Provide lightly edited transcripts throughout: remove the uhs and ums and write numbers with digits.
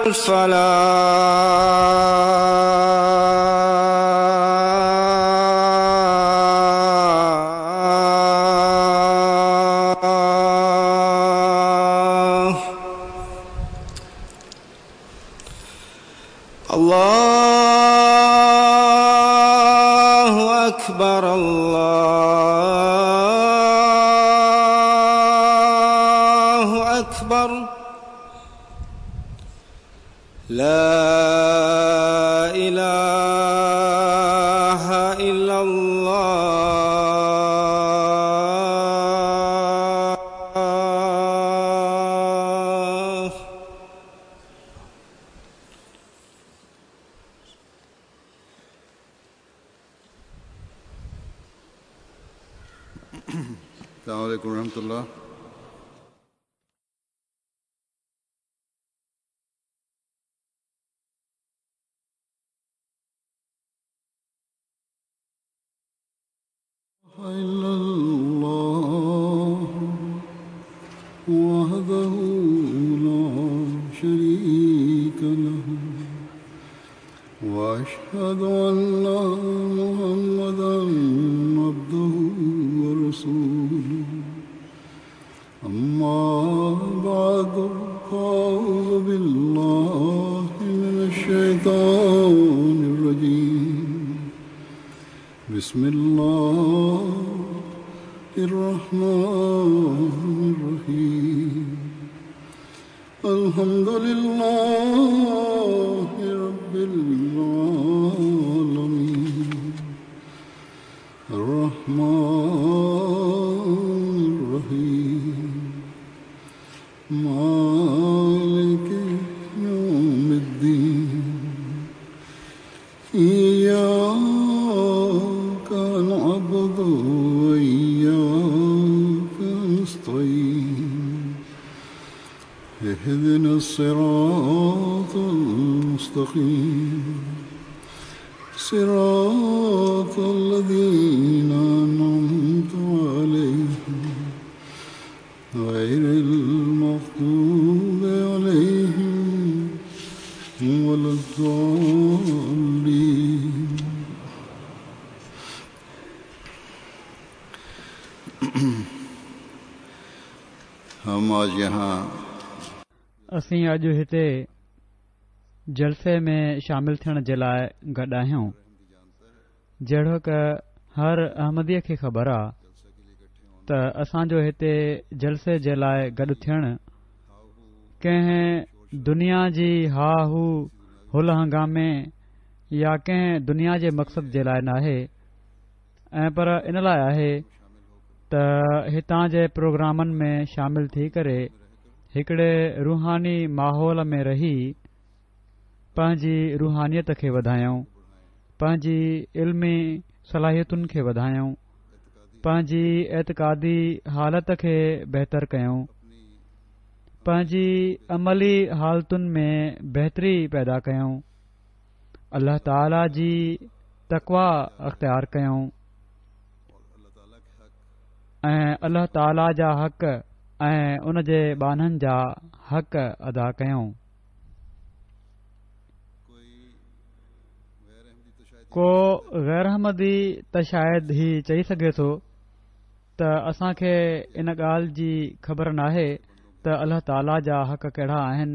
الفلاح. الله أكبر، الله أكبر، لا إله إلا الله. السلام عليكم ورحمة الله. إلا الله وحده لا شريك له، وأشهد أن محمدا عبده ورسوله. أما بعد، فأعوذ بالله من الشيطان الرجيم. بسم الله الرحمن الرحيم. الحمد لله رب العالمين، الرحمن الرحيم، مالك يوم الدين، إياك نعبد وإياك نستعين، اهدنا الصراط المستقيم، صراط الذين أنعمت عليهم، غير المغضوب عليهم ولا الضالين. हम आज यहाँ اسين اڄ هتي جلسي ۾ شامل ٿيڻ جي لاء گڏ آهيون. جهڙوڪ هر احمديء کي خبر آ ته اسان جو هتي جلسي جي لاء گڏ ٿيڻ ڪنهن دنيا جي ها هو هل هنگامي يا ڪنهن دنيا جي مقصد جي لاء ناهي، ۽ پر ان لاء آهي ته هتان جي پروگرامن ۾ شامل ٿي ڪري هڪڙي روحاني ماحول ۾ رهي پنهنجي روحانيت کي وڌايون، پنهنجي علمي صلاحيتن کي وڌايون، پنهنجي اعتقادي حالت کي بهتر ڪيون، پنهنجي عملي حالتن ۾ بهتري پيدا ڪيون، الله تعاليٰ جي تقويٰ اختيار ڪيون ۽ الله تعاليٰ جا حق ۽ ان جي ٻانهن جا حق ادا ڪيون. ڪو غير احمدي ته شايد هي چئي سگهي ٿو ته اسان کي ان ڳالهه جي خبر ناهي ته الله تعاليٰ جا حق ڪهڙا آهن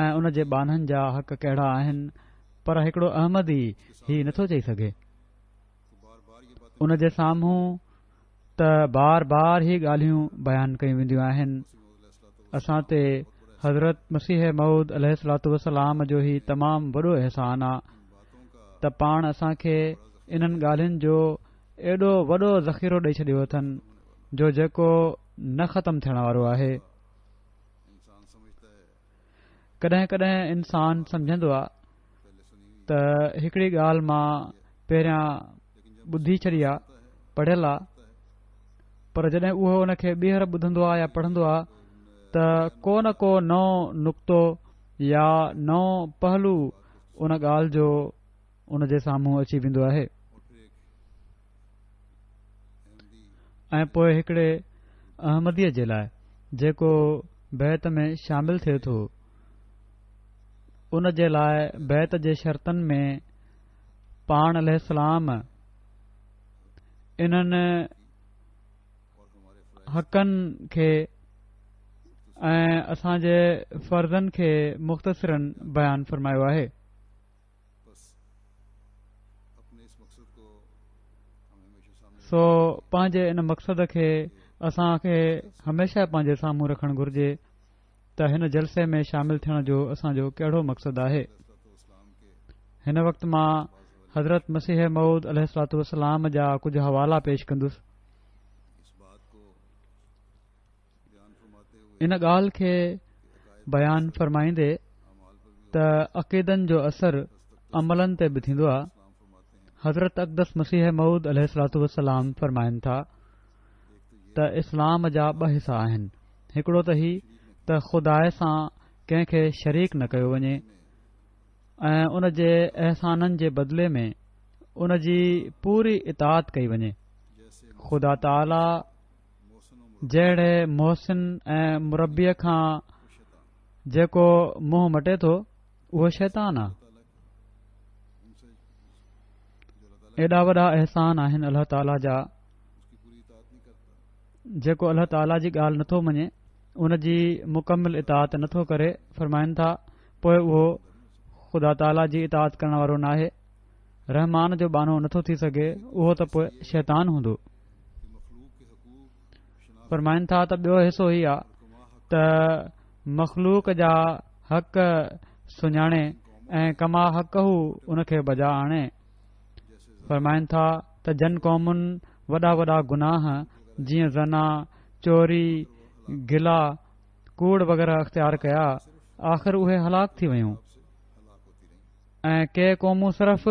۽ ان جي ٻانهن جا حق ڪهڙا آهن پر هڪڙو احمدي هي نٿو چئي سگهي. ان جي سامهون ته بار بار هي ڳالهيون بيان ڪيون وينديون آهن. اسان تي حضرت مسيح موعود عليه الصلوة والسلام جو هي تمام وڏو احسان آ ته پاڻ اسان کي انهن ڳالهين جو ايڏو وڏو ذخيرو ڏئي ڇڏيو اٿن جو جيڪو نه ختم ٿيڻ وارو آهي. ڪڏهن ڪڏهن انسان سمجهندو آ ته هڪڙي ڳالهه مان پهريان ٻڌي ڇڏي آ، پڙهيل آ، پر جڏهن اهو ان کي ٻيهر ٻڌندو آ يا پڙهندو آ ته ڪو نه ڪو نئون نڪتو يا نئون پهلو ان ڳالهه جو ان جي سامهون اچي ويندو آهي ۽ پوء هڪڙي احمديء جي لاء جيڪو بيعت ۾ شامل ٿئي ٿو ان جي لاء بيعت جي شرطن ۾ پاڻ عليه السلام انهن حقن کي ۽ اسان جي فرضن کي مختصراً بيان فرمايو آهي. سو پنهنجي ان مقصد کي اسان کي هميشه پنهنجي سامهون رکڻ گهرجي ته هن جلسي ۾ شامل ٿيڻ جو اسان جو ڪهڙو مقصد آهي. هن وقت مان حضرت مسيح موعود عليه الصلوة والسلام جا ڪجهه حوالا پيش ڪندس. ان ڳالهه کي بيان فرمائيندي ته عقيدن جو اثر عملن تي به ٿيندو آهي حضرت اقدس مسيح موعود عليه الصلوة والسلام فرمائن ٿا ته اسلام جا ٻه حصا آهن هڪڙو ته هي ته خدا سان ڪنهن کي شريڪ نه ڪيو وڃي ۽ ان جي احسانن جي بدلي ۾ ان جي پوري اطاعت ڪئي وڃي خدا تعاليٰ جهڙي محسن ۽ مربيء کان جيڪو منهن مٽي ٿو اهو شيطان آ. ايڏا وڏا احسان آهن الله تعاليٰ جا جيڪو الله تعاليٰ جي ڳالهه نٿو مڃي ان جي مڪمل اطاعت نٿو ڪري فرمائن ٿا پوء اهو خدا تعاليٰ جي اطاعت ڪرڻ وارو ناهي رحمان جو ٻانهو نٿو ٿي سگهي اهو ته پوء شيطان هوندو فرمائن ٿا ته ٻيو حصو هي آ ته مخلوق جا حق سڃاڻي ۽ ڪما حقه ان کي بجا آڻي فرمائن ٿا ته جن قومن وڏا وڏا گناهه جيئن زنا چوري گلا ڪوڙ وغيره اختيار ڪيا آخر اهي هلاڪ ٿي ويون ۽ ڪي قومون صرف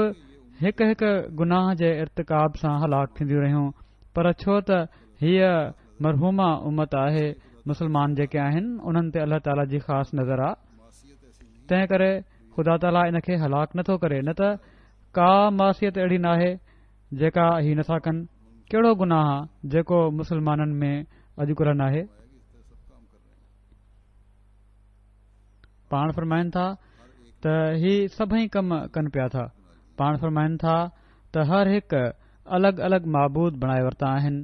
هڪ هڪ گناهه جي ارتڪاب سان هلاڪ ٿينديون رهيون پر ڇو ته هيء مرحومه امت آهي مسلمان جيڪي آهن انهن تي الله تعاليٰ جي خاص نظر آ تنهن ڪري خدا تعاليٰ ان کي هلاڪ نٿو ڪري نه ته ڪا معصيت اهڙي ناهي جيڪا هي نٿا ڪن ڪهڙو گناهه آ جيڪو مسلمانن ۾ اڄڪلهه ناهي پاڻ فرمائن ٿا ته هي سڀئي ڪم ڪن پيا ٿا پاڻ فرمائن ٿا ته هر هڪ الڳ الڳ معبود بڻائي ورتا آهن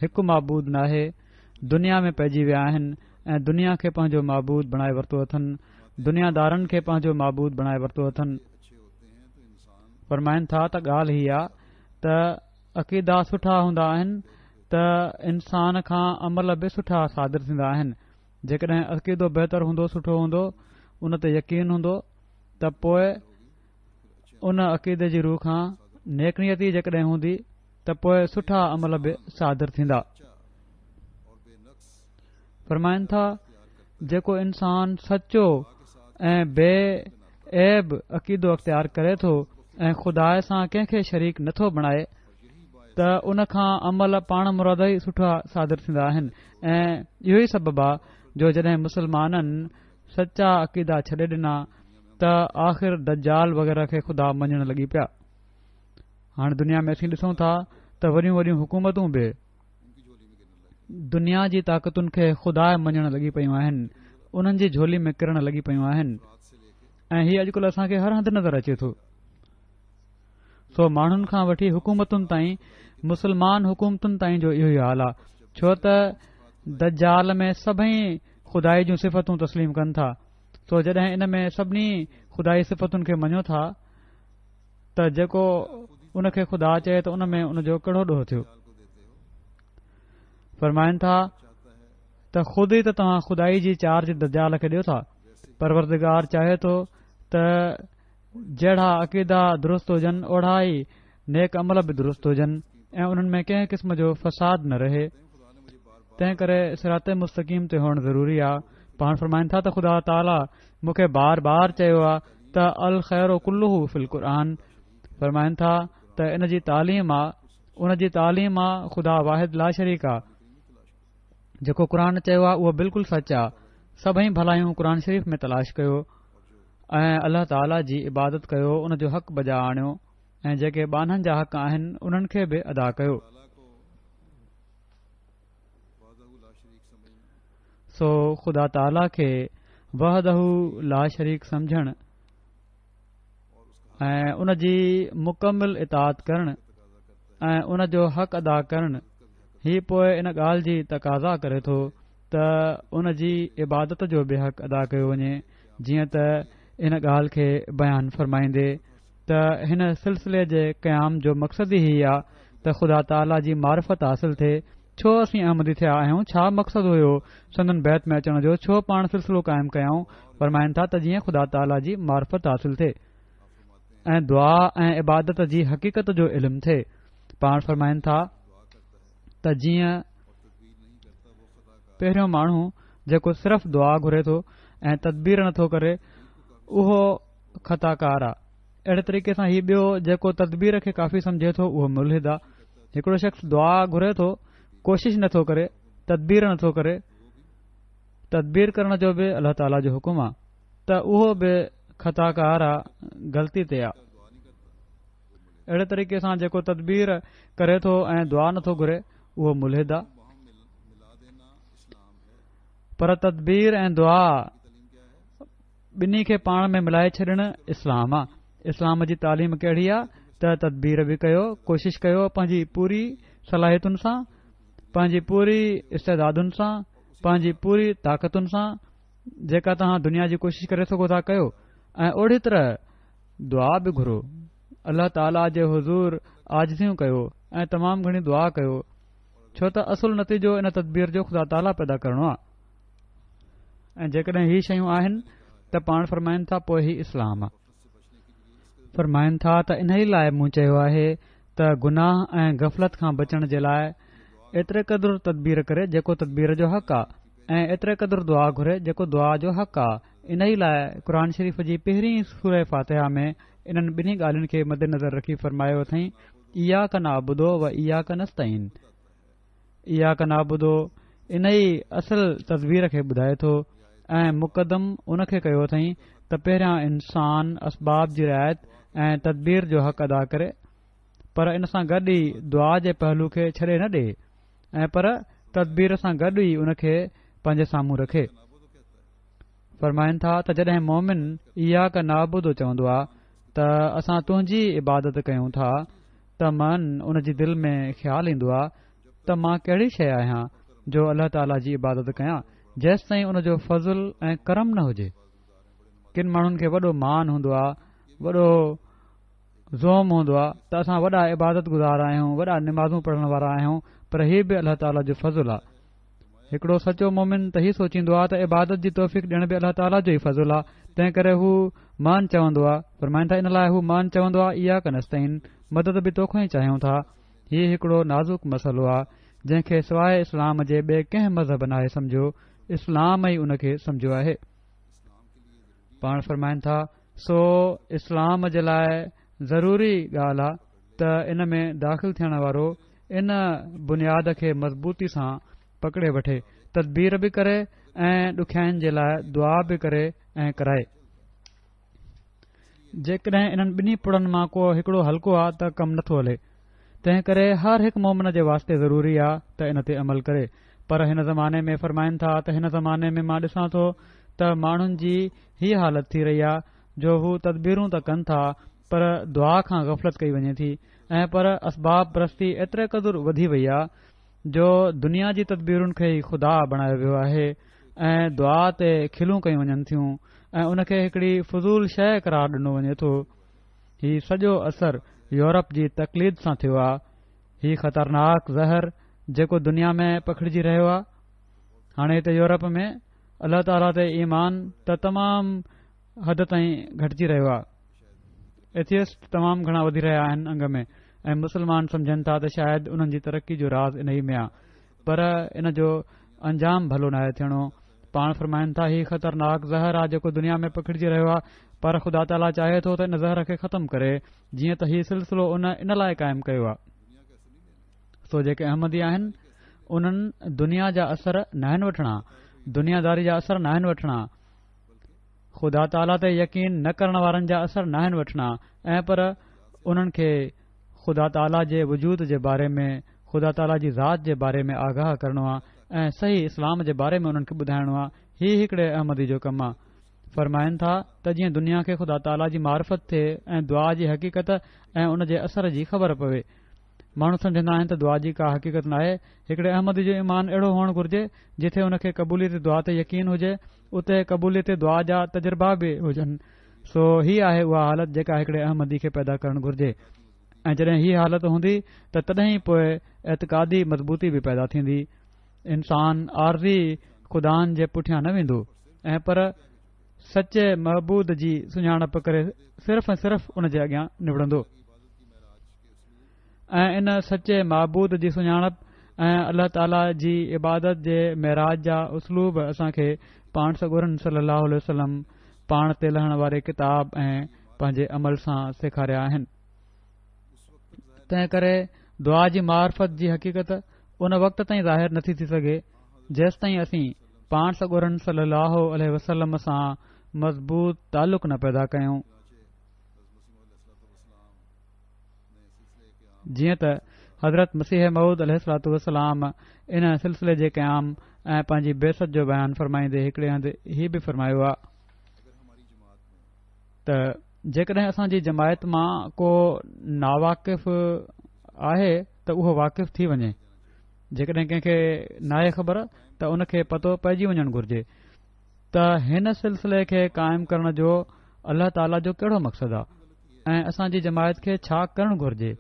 هڪ معبود ناهي دنيا ۾ پئجي ويا آهن ۽ دنيا کي پنهنجو معبود بڻائي ورتو اٿن دنيا دارن کي پنهنجو معبود بڻائي ورتو اٿن فرمائن ٿا ته ڳالهه هي آ ته عقيدا سٺا هوندا آهن ته انسان کان عمل به سٺا صادر ٿيندا آهن. جيڪڏهن عقيدو بهتر هوندو سٺو هوندو ان تي يقين هوندو ته پوء ان عقيدي جي رو کان نيڪ نيتي جيڪڏهن هوندي ته پوء سٺا عمل به صادر ٿيندا. فرمائن ٿا جيڪو انسان سچو ۽ بي عيب عقيدو اختيار ڪري ٿو ۽ خدا سان ڪنهن کي شريڪ نٿو بڻائي ته ان کان عمل پاڻ مرادو ئي سٺا صادر ٿيندا آهن ۽ اهو ئي سبب آ جو جڏهن مسلمانن سچا عقيدا ڇڏي ڏنا ته آخر دجال وغيره کي خدا مڃڻ لڳي پيا هاڻ دنيا ۾ اسين ڏسون ٿا ته وڏيون وڏيون حڪومتون به دنيا جي طاقتن کي خدا مڃڻ لڳي پيون آهن انهن جي جهولي ۾ ڪرڻ لڳي پيون آهن. ۽ هي اڄڪلهه اسان کي هر هنڌ نظر اچي ٿو. سو ماڻهن کان وٺي حڪومتن تائين مسلمان حڪومتن تائين جو اهو ئي حال آ ڇو ته دجال ۾ سڀئي خدائي جون صفتون تسليم ڪن ٿا سو جڏهن ان ۾ سڀني خدائي صفتن کي مڃيو ٿا ته جيڪو ان کي خدا چئي ته ان ۾ ان جو ڪهڙو ڏوهه ٿيو؟ فرمائن ٿا ته خود ئي ته توهان خدائي جي چارج دجال کي ڏيو ٿا. پروردگار چاهي ٿو ته جهڙا عقيدا درست هجن اوڙا ئي نيڪ عمل به درست هجن ۽ انهن ۾ ڪنهن قسم جو فساد نه رهي. تنهن ڪري صراط مستقيم تي هئڻ ضروري آ. پاڻ فرمائن ٿا ته خدا تعاليٰ مون کي بار بار چيو آ ته الخير ڪله في القرآن فرمائن ٿا ته ان جي تعليم آ ان جي تعليم آ خدا واحد لا شريڪ آ جيڪو قرآن چيو آ اهو بلڪل سچ آ سڀئي ڀلايون قرآن شريف ۾ تلاش ڪيو ۽ الله تعاليٰ جي عبادت ڪيو ان جو حق بجا آڻيو ۽ جيڪي ٻانهن جا حق آهن انهن کي به ادا ڪيو سو خدا تعاليٰ کي وحده لا شريڪ سمجهڻ ۽ ان جي مڪمل اطاعت ڪرڻ ۽ ان جو حق ادا ڪرڻ هي پوء ان ڳالهه جي تقاضا ڪري ٿو ته ان جي عبادت جو به حق ادا ڪيو وڃي جيئن ته ان ڳالهه کي بيان فرمائيندي ته هن سلسلي جي قيام جو مقصد ئي هي آ ته خدا تعاليٰ جي معرفت حاصل ٿئي ڇو اسين احمدي ٿيا آهيون ڇا مقصد هيو سندن بيعت ۾ اچڻ جو ڇو پاڻ سلسلو قائم ڪيائون فرمائن ٿا ته جيئن خدا تعاليٰ جي معرفت حاصل ٿئي ۽ دعا ۽ عبادت جي حقيقت جو علم ٿئي پاڻ فرمائن ٿا ته جيئن پهريون ماڻهو جيڪو صرف دعا گهري ٿو ۽ تدبير نٿو ڪري اهو خطاڪار آ. اهڙي طريقي سان هي ٻيو جيڪو تدبير کي ڪافي سمجهي ٿو اهو ملحد آ. هڪڙو شخص دعا گهري ٿو، ڪوشش نٿو ڪري، تدبير نٿو ڪري، تدبير ڪرڻ جو به الله تعاليٰ جو حڪم آ ته اهو به خطاڪار آ، غلطي تي آ. اهڙي طريقي سان جيڪو تدبير ڪري ٿو ۽ دعا نٿو گهري اهو ملحد آ. پر تدبير ۽ دعا ٻنهي کي پاڻ ۾ ملائي ڇڏڻ اسلام آ. اسلام جي تعليم ڪهڙي آ ته تدبير به ڪيو، ڪوشش ڪيو پنهنجي پوري صلاحيتن سان، پنهنجي پوري استعدادن سان، پنهنجي پوري طاقتن سان جيڪا توهان دنيا جي ڪوشش ڪري سگهو ٿا ڪيو ۽ اوڙي طرح دعا به گهرو. الله تعاليٰ جي حضور عاجزيون ڪيو ۽ تمام گهڻي دعا ڪيو ڇو ته اصل نتيجو ان تدبير جو خدا تعاليٰ پيدا ڪرڻو آ. ۽ جيڪڏهن هي شيون آهن ته پاڻ فرمائن ٿا پوء هي اسلام آ. فرمائن ٿا ته انهي لاء مون چيو آهي ته گناهه ۽ غفلت کان بچڻ جي لاء ايتري قدر تدبير ڪري جيڪو تدبير جو حق آ ۽ ايتري قدر دعا گهري جيڪو دعا جو حق آ انهي لاء قرآن شريف جي پهرين سوره فاتحه ۾ انهن ٻنهي ڳالهين کي مدنظر رکي فرمايو اٿئين اياڪ نعبد و اياڪ نستعين اياڪ نعبد انهي اصل تدبير کي ٻڌائي ٿو ۽ مقدم ان کي ڪيو اٿئين ته پهريان انسان اسباب جي رعايت ۽ تدبير جو حق ادا ڪري پر ان سان گڏ ئي دعا جي پهلو کي ڇڏي نه ڏي ۽ پر تدبير سان گڏ ئي ان کي پنهنجي سامهون رکي. فرمائن ٿا ته جڏهن مومن اياڪ نعبد چوندو آ ته اسان تنهنجي عبادت ڪيون ٿا ته من ان جي دل ۾ خيال ايندو آ ته مان ڪهڙي شيء آهيان جو الله تعاليٰ جي عبادت ڪيان جيستائين ان جو فضل ۽ ڪرم نه هجي. ڪن ماڻهن کي وڏو مان هوندو آ، وڏو زعم هوندو آ ته اسان وڏا عبادت گذار آهيون، وڏا نمازون پڙهڻ وارا آهيون پر هي به الله تعاليٰ جو فضل آ. هڪڙو سچو مؤمن ته هي سوچيندو آ ته عبادت جي توفيق ڏيڻ به الله تعاليٰ جو ئي فضل آ تنهن ڪري هو مان چوندو آ فرمائن ٿا ان لاء هو مان چوندو آ اياڪ نستعين مدد به توکان ئي چاهيون ٿا هي هڪڙو نازڪ مسئلو آ جنهن کي سواء اسلام جي ٻئي ڪنهن مذهب ناهي سمجهيو اسلام ئي ان کي سمجهيو آهي پاڻ فرمائن ٿا سو اسلام جي لاء ضروري ڳالهه آ ته ان ۾ داخل ٿيڻ وارو ان بنياد کي مضبوطي سان پڪڙي وٺي، تدبير به ڪري ۽ ڏکيائين جي لاء دعا به ڪري ۽ ڪرائي. جيڪڏهن انهن ٻنهي پڙن مان ڪو هڪڙو هلڪو آ ته ڪم نٿو هلي. تنهن ڪري هر هڪ مؤمن جي واسطي ضروري آ ته ان تي عمل ڪري. پر هن زماني ۾ فرمائن ٿا ته هن زماني ۾ مان ڏسان ٿو ته ماڻهن جي هيء حالت ٿي رهي آ. جو هو تدبيرون ته ڪن ٿا پر دعا کان غفلت ڪئي وڃي ٿي ۽ پر اسباب پرستي ايتري قدر وڌي وئي آ جو دنيا جي تدبيرن کي ئي خدا بڻايو ويو آهي ۽ دعا تي کلون ڪيون وڃن ٿيون ۽ ان کي هڪڙي فضول شيء قرار ڏنو وڃي ٿو. هي سڄو اثر يورپ جي تقليد سان ٿيو آ. هي خطرناڪ زهر جيڪو دنيا ۾ پکڙجي رهيو آ. هاڻي هتي يورپ ۾ الله تعاليٰ تي ايمان ته تمام حد تائين گهٽجي رهيو آ. ايٿيسٽ تمام گهڻا وڌي رهيا آهن انگ ۾ ۽ مسلمان سمجهن ٿا ته شايد انهن جي ترقي جو راز انهي ۾ آ پر ان جو انجام ڀلو ناهي ٿيڻو. پاڻ فرمائن ٿا هي خطرناڪ زهر آ جيڪو دنيا ۾ پکڙجي رهيو آ پر خدا تعاليٰ چاهي ٿو ته ان زهر کي ختم ڪري جيئن ته هي سلسلو ان ان لاء قائم ڪيو آ. سو جيڪي احمدي آهن انهن دنيا جا اثر ناهن وٺڻا، دنياداري جا اثر ناهن وٺڻا، خدا تعاليٰ تي يقين نه ڪرڻ وارن جا اثر ناهن وٺڻا ۽ پر انهن کي خدا تعاليٰ جي وجود جي باري ۾ خدا تعاليٰ جي ذات جي باري ۾ آگاهه ڪرڻو آهي ۽ صحيح اسلام جي باري ۾ انهن کي ٻڌائڻو آهي هي هڪڙي احمدي جو ڪم آهي فرمائن ٿا ته جيئن دنيا کي خدا تعاليٰ جي معرفت ٿئي ۽ دعا جي حقيقت ۽ ان جي اثر جي خبر پوي ماڻهو سمجهندا آهن ته دعا جي ڪا حقيقت ناهي. هڪڙي احمدي جو ايمان اهڙو هئڻ گهرجي، جٿي ان کي قبوليت دعا تي يقين هجي، اتي قبوليت دعا جا تجربا به هجن. سو هي آهي اها حالت جيڪا هڪڙي احمدي کي پيدا ڪرڻ گهرجي ۽ جڏهن هي حالت هوندي ته تڏهن ئي پوء اعتقادي مضبوطي به پيدا ٿيندي. انسان عارضي خدائن جي پٺيان نه ويندو ۽ پر سچي معبود جي سڃاڻپ ڪري صرف ۽ صرف ان جي اڳيان نوڙندو. ۽ ان سچي معبود جي سڃاڻپ ۽ الله تعاليٰ جي عبادت جي معراج جا اسلوب اسان کي پاڻ سڳورن صلي الله عليه وسلم پاڻ تي لهڻ واري ڪتاب ۽ پنهنجي عمل سان سيکاريا آهن. تنهن ڪري دعا جي معرفت جي حقيقت ان وقت تائين ظاهر نٿي ٿي سگهي جيستائين اسين پاڻ سڳورن صلي الله عليه وسلم سان مضبوط تعلق نه پيدا ڪيون. جيئن ته حضرت مسيح موعود عليه الصلوة والسلام ان سلسلي جي قيام ۽ پنهنجي بعثت جو بيان فرمائيندي هڪڙي هنڌ هي به فرمايو آهي ته جيڪڏهن اسان جي جماعت مان ڪو ناواقف آهي ته اهو واقف ٿي وڃي جيڪڏهن ڪنهن کي ناهي خبر ته ان کي پتو پئجي وڃڻ گهرجي ته هن سلسلي کي قائم ڪرڻ جو الله تعاليٰ جو ڪهڙو مقصد آهي ۽ اسان جي جماعت کي ڇا ڪرڻ گهرجي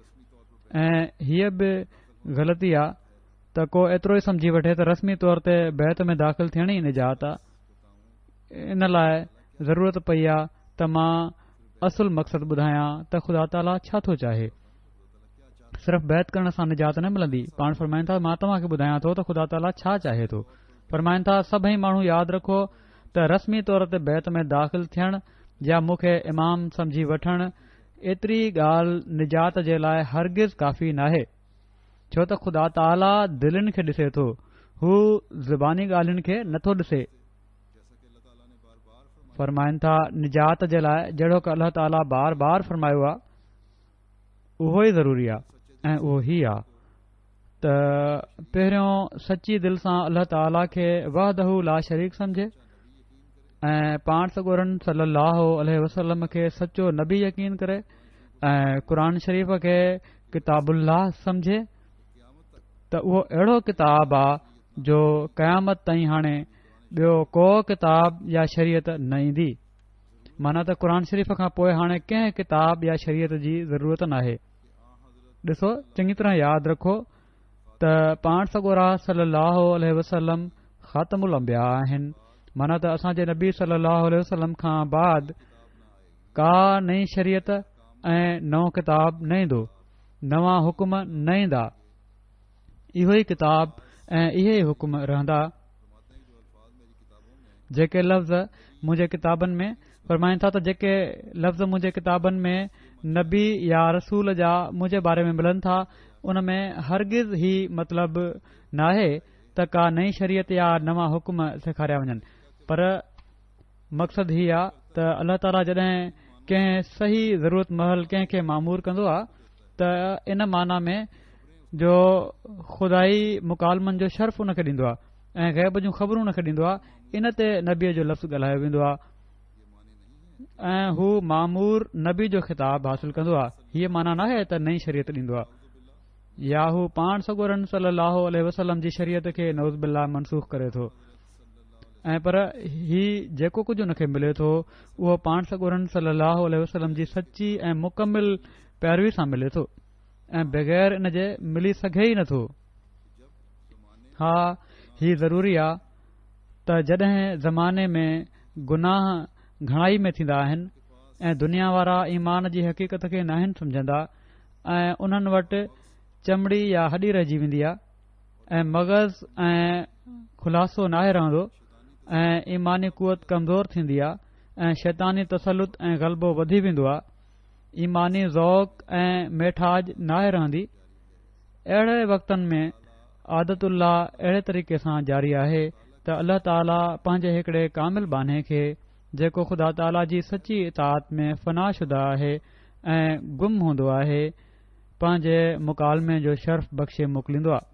۽ هيء به غلطي آ ته ڪو ايترو ئي سمجهي وٺي ته رسمي طور تي بيعت ۾ داخل ٿيڻ ئي نجات آ ان لاء ضرورت پئي آ ته مان اصل مقصد ٻڌايان ته خدا تعاليٰ ڇا ٿو چاهي صرف بيعت ڪرڻ سان نجات نه ملندي پاڻ فرمائن ٿا مان توهان کي ٻڌايان ٿو ته خدا تعاليٰ ڇا چاهي ٿو فرمائن ٿا سڀئي ماڻهو ياد رکو ته رسمي طور تي بيعت ۾ داخل ٿيڻ يا مون کي امام سمجهي وٺڻ ايتري ڳالهه نجات جي لاء هرگز ڪافي ناهي ڇو ته خدا تعاليٰ دلين کي ڏسي ٿو هو زباني ڳالهين کي نٿو ڏسي فرمائن ٿا نجات جي لاء جهڙوڪ الله تعاليٰ بار بار فرمايو آهي اهو ئي ضروري آهي ۽ اهو هي آهي ته پهريون سچي دل سان الله تعاليٰ کي وحده لا شريڪ سمجهي ۽ پاڻ سڳورن صلي الله عليه وسلم کي سچو نبي يقين ڪري ۽ قرآن شريف کي ڪتاب الله سمجهي ته اهو اهڙو ڪتاب آ جو قيامت تائين هاڻي ٻيو ڪو ڪتاب يا شريعت نه ايندي معنيٰ ته قرآن شريف کان پوء هاڻي ڪنهن ڪتاب يا شريعت جي ضرورت ناهي ڏسو چڱي طرح ياد رکو ته پاڻ سڳورا صلي الله عليه وسلم خاتم الانبياء آهن معنيٰ ته اسان جي نبي صلي الله عليه وسلم کان بعد ڪا نئين شريعت ۽ نئون ڪتاب نه ايندو نوان حڪم نه ايندا اهو ئي ڪتاب ۽ اهي ئي حڪم رهندا جيڪي لفظ منهنجي ڪتابن ۾ فرمائن ٿا ته جيڪي لفظ منهنجي ڪتابن ۾ نبي يا رسول جا منهنجي باري ۾ ملن ٿا ان ۾ هرگز هي مطلب ناهي ته ڪا نئين شريعت يا نوان حڪم سيکاريا وڃن پر مقصد هي آ ته الله تعاليٰ جڏهن ڪنهن صحيح ضرورت مهل ڪنهن کي مامور ڪندو آ ته ان معنيٰ ۾ جو خدائي مڪالمن جو شرف ان کي ڏيندو آ ۽ غيب جون خبرون ان کي ڏيندو آ ان تي نبيء جو لفظ ڳالهايو ويندو آ. ۽ هو مامور نبي جو خطاب حاصل ڪندو آهي. هيء معنيٰ ناهي ته نئين شريعت ڏيندو آهي يا هو پاڻ سڳورن صلي الله عليه وسلم جي شريعت کي نعوذ بالله منسوخ ڪري ٿو ۽ پر هي جيڪو ڪجهه ان کي ملي ٿو اهو پاڻ سڳورن صلي الله عليه وسلم جي سچي ۽ مڪمل پيروي سان ملي ٿو ۽ بغير ان جي ملي سگهي ئي نٿو. ها هي ضروري آ ته جڏهن زماني ۾ گناهه گهڻائي ۾ ٿيندا آهن ۽ دنيا وارا ايمان جي حقيقت کي ناهن سمجهندا ۽ انهن وٽ چمڙي يا هڏي رهجي ويندي آ ۽ مغز ۽ خلاصو ناهي رهندو ۽ ايماني قوت ڪمزور ٿيندي آ ۽ شيطاني تسلط ۽ غلبو وڌي ويندو آ ايماني ذوق ۽ ميٺاج ناهي رهندي اهڙي وقتن ۾ عادت الله اهڙي طريقي سان جاري آهي ته الله تعاليٰ پنهنجي هڪڙي ڪامل ٻانهي کي جيڪو خدا تعاليٰ جي سچي اطاعت ۾ فنا شده آهي ۽ گم هوندو آهي پنهنجي مڪالمي جو شرف بخشي موڪليندو آهي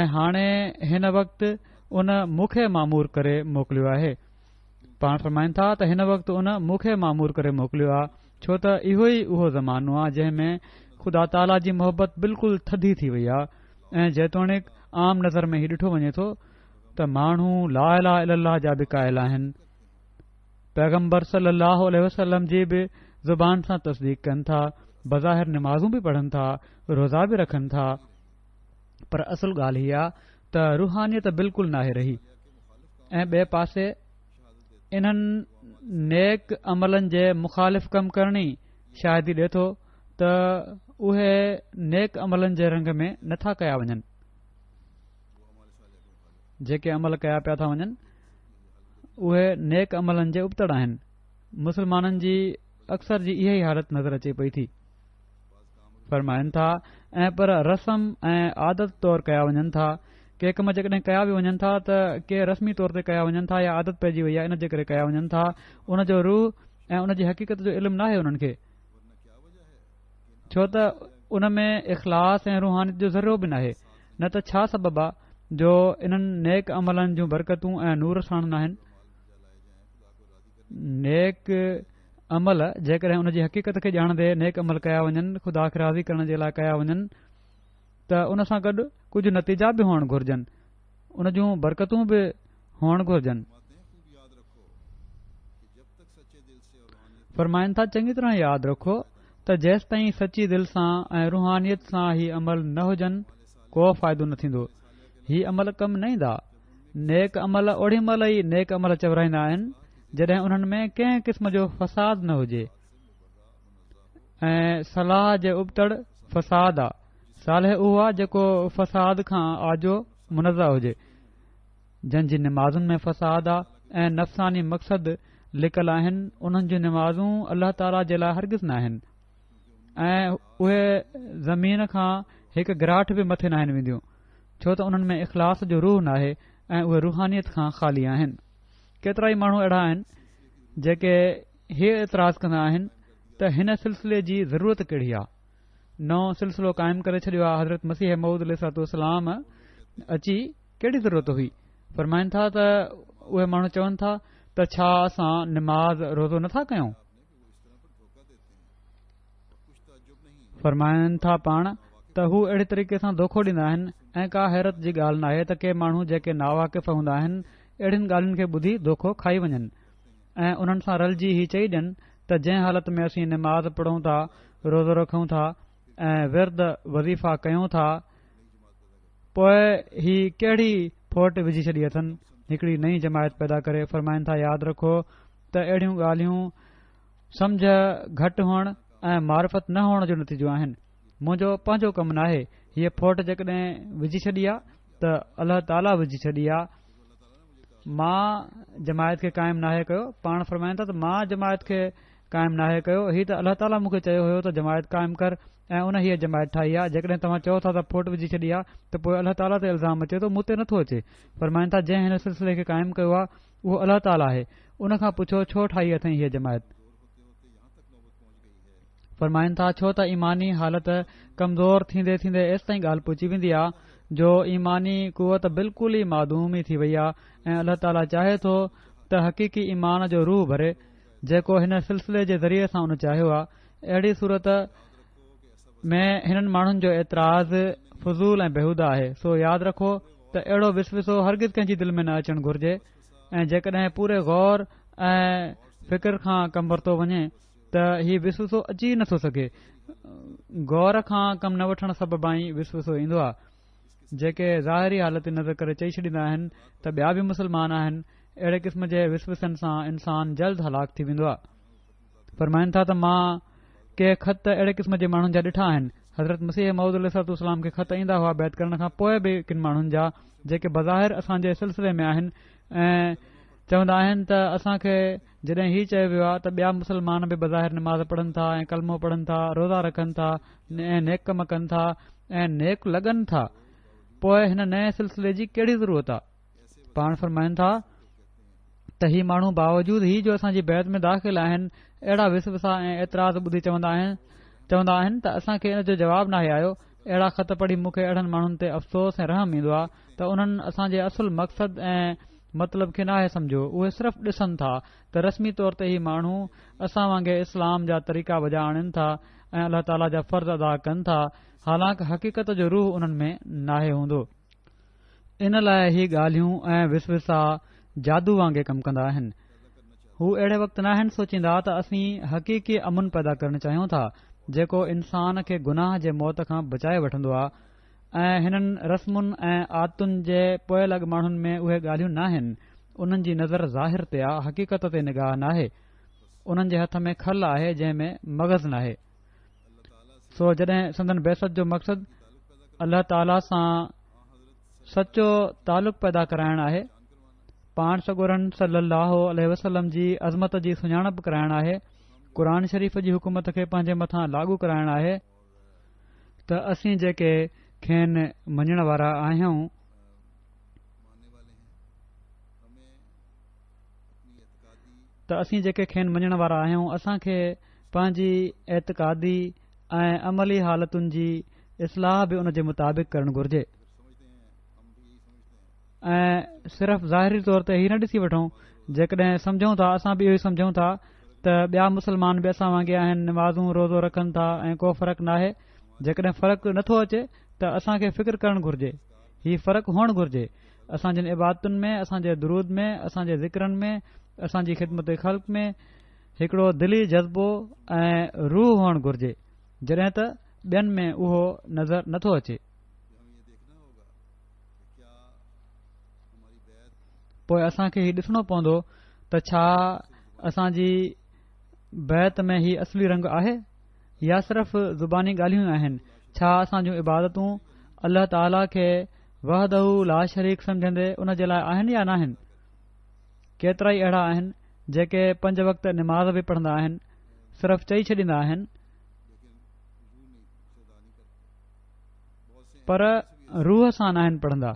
۽ هاڻي هن وقت ان مون کي مامور ڪري موڪليو آهي. پاڻ فرمائن ٿا ته هن وقت ان مون کي مامور ڪري موڪليو آهي ڇو ته اهو ئي اهو زمانو آهي جنهن ۾ خدا تعاليٰ جي محبت بلڪل ٿڌي ٿي وئي آهي ۽ جيتوڻيڪ عام نظر ۾ هي ڏٺو وڃي ٿو ته ماڻهو لا اله الا الله جا به قائل آهن پيغمبر صلي الله عليه وسلم جي به زبان سان تصديق ڪن ٿا بظاهر نمازون به پڙهن ٿا روزا به رکن ٿا پر اصل ڳالهه هي آ ته روحانيت بلڪل ناهي رهي ۽ ٻئي پاسي انهن نيڪ عملن جي مخالف ڪم ڪرڻ ئي شاهدي ڏي ٿو ته اهي نيڪ عملن جي رنگ ۾ نٿا ڪيا وڃن. جيڪي عمل ڪيا پيا ٿا وڃن اهي نيڪ عملن جي ابتڙ آهن. مسلمانن جي اڪثر جي اها ئي حالت نظر اچي پئي ٿي. فرمائن ٿا ۽ پر رسم ۽ عادت طور ڪيا وڃن ٿا ڪي ڪم جيڪڏهن ڪيا به وڃن ٿا ته ڪي رسمي طور تي ڪيا وڃن ٿا يا عادت پئجي وئي آهي ان جي ڪري ڪيا وڃن ٿا ان جو روح ۽ ان جي حقيقت جو علم ناهي انهن کي ڇو ته ان ۾ اخلاص ۽ روحانيت جو ذرو به ناهي نه ته ڇا سبب آ جو انهن نيڪ عملن جون برڪتون ۽ نور ساڻ ناهن نيڪ عمل جيڪڏهن ان جي حقيقت کي ڄاڻندي نيڪ عمل ڪيا وڃن خدا کي راضي ڪرڻ جي لاء ڪيا وڃن ته ان سان گڏ ڪجهه نتيجا به هئڻ گهرجن ان جون برڪتون به هئڻ گهرجن. فرمائن ٿا چڱي طرح ياد رکو ته جيستائين سچي دل سان ۽ روحانيت سان هي عمل نه هجن ڪو فائدو نه ٿيندو هي عمل ڪم نه ايندا نيڪ عمل اوڏي مهل ئي نيڪ عمل چورائيندا آهن جڏهن انهن ۾ ڪنهن قسم جو فساد نه هجي ۽ صلاح جي ابتڙ فساد آ صالح اهو آ جيڪو فساد کان آجو منزه هجي جن جي نمازن ۾ فساد آ ۽ نفساني مقصد لڪل آهن انهن جون نمازون الله تعاليٰ جي لاء هرگز نه آهن ۽ اهي زمين کان هڪ گراٺ به مٿي ناهن وينديون ڇو ته انهن ۾ اخلاص جو روح ناهي ۽ اهي روحانيت کان خالي آهن. ڪيترائي ماڻهو اهڙا آهن جيڪي هي اعتراض ڪندا آهن ته هن سلسلي جي ضرورت ڪهڙي آ؟ نئون سلسلو قائم ڪري ڇڏيو آ حضرت مسيح موعود عليه الصلوة والسلام اچي ڪهڙي ضرورت هئي؟ فرمائن ٿا ته اهي ماڻهو چون ٿا ته ڇا اسان نماز روزو نٿا ڪيون؟ فرمائن ٿا پاڻ ته هو اهڙي طريقي سان دوکو ڏيندا آهن ۽ ڪا حيرت جي ڳالهه ناهي ته ڪي ماڻهو جيڪي ناواقف هوندا آهن اهڙين ڳالهين کي ٻڌي دوکو کائي وڃن ۽ انهن سان رلجي هي چئي ڏين ته جنهن حالت ۾ اسين نماز پڙهون ٿا روزو رکون ٿا ۽ ورد وظيفا ڪيون ٿا پوء هي ڪهڙي ڦوٽ وجهي ڇڏي اٿن هڪڙي نئين جماعت پيدا ڪري فرمائن ٿا ياد رکو ته اهڙيون ڳالهيون سمجهه گهٽ هئڻ ۽ معرفت نه هئڻ جو نتيجو آهن. منهنجو پنهنجو ڪم ناهي. هيء ڦوٽ جيڪڏهن وجهي ڇڏي آ ته الله تعاليٰ وجهي ڇڏي آ. مان جماعت کي قائم ناهي ڪيو. پاڻ فرمائن ٿا ته مان جماعت کي قائم ناهي ڪيو. هي ته الله تعاليٰ مون کي چيو هيو ته جماعت قائم ڪر ۽ ان هيء جماعت ٺاهي آ. جيڪڏهن توهان چئو ٿا ته ڦوٽ وجهي ڇڏي آ ته پوء الله تعاليٰ تي الزام اچي ٿو، مون تي نٿو اچي. فرمائن ٿا جنهن هن سلسلي کي قائم ڪيو آ اهو الله تعاليٰ آهي، ان کان پڇو ڇو ٺاهي اٿئين هيء جماعت؟ فرمائن ٿا ڇو ته ايماني حالت ڪمزور ٿيندي ٿيندي ايستائين ڳالهه پهچي ويندي آ جو ايماني قوت بلڪل ئي معدوم ئي ٿي وئي آ ۽ الله تعاليٰ چاهي ٿو ته حقيقي ايمان جو روح ڀري جيڪو هن سلسلي جي ذريعي سان ان چاهيو آهي اهڙي صورت ۾ هنن ماڻهن جو اعتراض فضول ۽ بيهوده آهي سو ياد رکو ته اهڙو وسوسو هرگز ڪنهن جي دل ۾ نه اچڻ گهرجي ۽ جيڪڏهن پوري غور ۽ فڪر کان ڪم ورتو وڃي ته هي وسوسو اچي ئي نٿو سگهي غور کان ڪم نه وٺڻ سببان ئي وسوسو ايندو آهي جيڪي ظاهري حالت تي نظر ڪري چئي ڇڏيندا آهن ته ٻيا به مسلمان آهن اهڙي قسم جي وسوسن سان انسان جلد هلاڪ ٿي ويندو آهي فرمائن ٿا ته مان ڪي خط اهڙي قسم جي ماڻهن جا ڏٺا آهن حضرت مسيح موعود عليه الصلوة والسلام کي خط ايندا هئا بيعت ڪرڻ کان پوء به ڪن ماڻهن جا جيڪي بظاهر اسان جي سلسلي ۾ آهن ۽ چوندا آهن ته اسان کي جڏهن هي چيو ويو آهي ته ٻيا مسلمان به بظاهر نماز پڙهن ٿا ۽ ڪلمو پڙهن ٿا روزا رکن ٿا ۽ نيڪ ڪم ڪن ٿا ۽ نيڪ لڳن ٿا پوء هن نئين سلسلي جي ڪهڙي ضرورت آهي پاڻ فرمائن ٿا ته هي ماڻهو باوجود هي جو اسان جي بيعت ۾ داخل آهن اهڙا وسوسا ۽ اعتراض ٻڌي چوندا آهن چوندا آهن ته اسان کي ان جو جواب ناهي آيو اهڙا خط پڙهي مون کي اهڙن ماڻهن تي افسوس ۽ رحم ايندو آهي ته انهن اسان جي اصل مقصد ۽ مطلب کي ناهي سمجهيو اهي صرف ڏسن ٿا ته رسمي طور تي هي ماڻهو اسان وانگي اسلام جا طريقا بجا آڻين ٿا ۽ الله تعاليٰ جا فرض ادا ڪن ٿا حالانڪ حقيقت جو روح انهن ۾ ناهي هوندو ان لاء هي ڳالهيون ۽ وسوسا جادو وانگي ڪم ڪندا آهن. هو اهڙي وقت ناهن سوچيندا ته اسين حقيقي امن پيدا ڪرڻ چاهيون ٿا جيڪو انسان کي گناهه جي موت کان بچائي وٺندو آهي ۽ هنن رسمن ۽ عادتن جي پوئلڳ ماڻهن ۾ اهي ڳالهيون ناهن انهن جي نظر ظاهر تي آ حقيقت تي نگاهه ناهي انهن جي هٿ ۾ کل آهي جنهن ۾ مغز ناهي. سو جڏهن سندن بعثت جو مقصد الله تعاليٰ سان سچو تعلق پيدا ڪرائڻ آهي پاڻ سڳورن صلي الله عليه وسلم جي عظمت جي سڃاڻپ ڪرائڻ آهي قرآن شريف جي حڪومت کي پنهنجي مٿان لاڳو ڪرائڻ آهي ته اسين جيڪي کين مڃڻ وارا آهيون ته اسين جيڪي کين مڃڻ وارا آهيون اسان کي پنهنجي اعتقادي ۽ عملي حالتن جي اصلاح به ان جي مطابق ڪرڻ گهرجي ۽ صرف ظاهري طور تي هي نه ڏسي وٺون جيڪڏهن سمجهون ٿا اسان به اهو ئي سمجهون ٿا ته ٻيا مسلمان به اسان وانگي آهن نمازون روزو رکن ٿا ۽ ڪو فرق ناهي جيڪڏهن فرق نٿو اچي ته اسان کي فڪر ڪرڻ گهرجي هي فرق هئڻ گهرجي. اسان جن عبادتن ۾، اسان جي درود ۾، اسان جي ذڪرن ۾، اسان جي خدمت خلق ۾ هڪڙو دلي جذبو ۽ روح هئڻ گهرجي، جڏهن ته ٻين ۾ اهو نظر نٿو اچي. پوء اسان کي هي ڏسڻو پوندو ته ڇا اسان جي بيعت ۾ هي اصلي رنگ آهي؟ يا صرف زباني ڳالهيون آهن؟ ڇا اسان جون عبادتون الله تعاليٰ کي وحده لا شريڪ سمجهندي ان جي لاء آهن يا ناهن؟ ڪيترائي اهڙا آهن جيڪي پنج وقت نماز به پڙهندا آهن صرف چئي ڇڏيندا آهن پر روح سان ناهن پڙهندا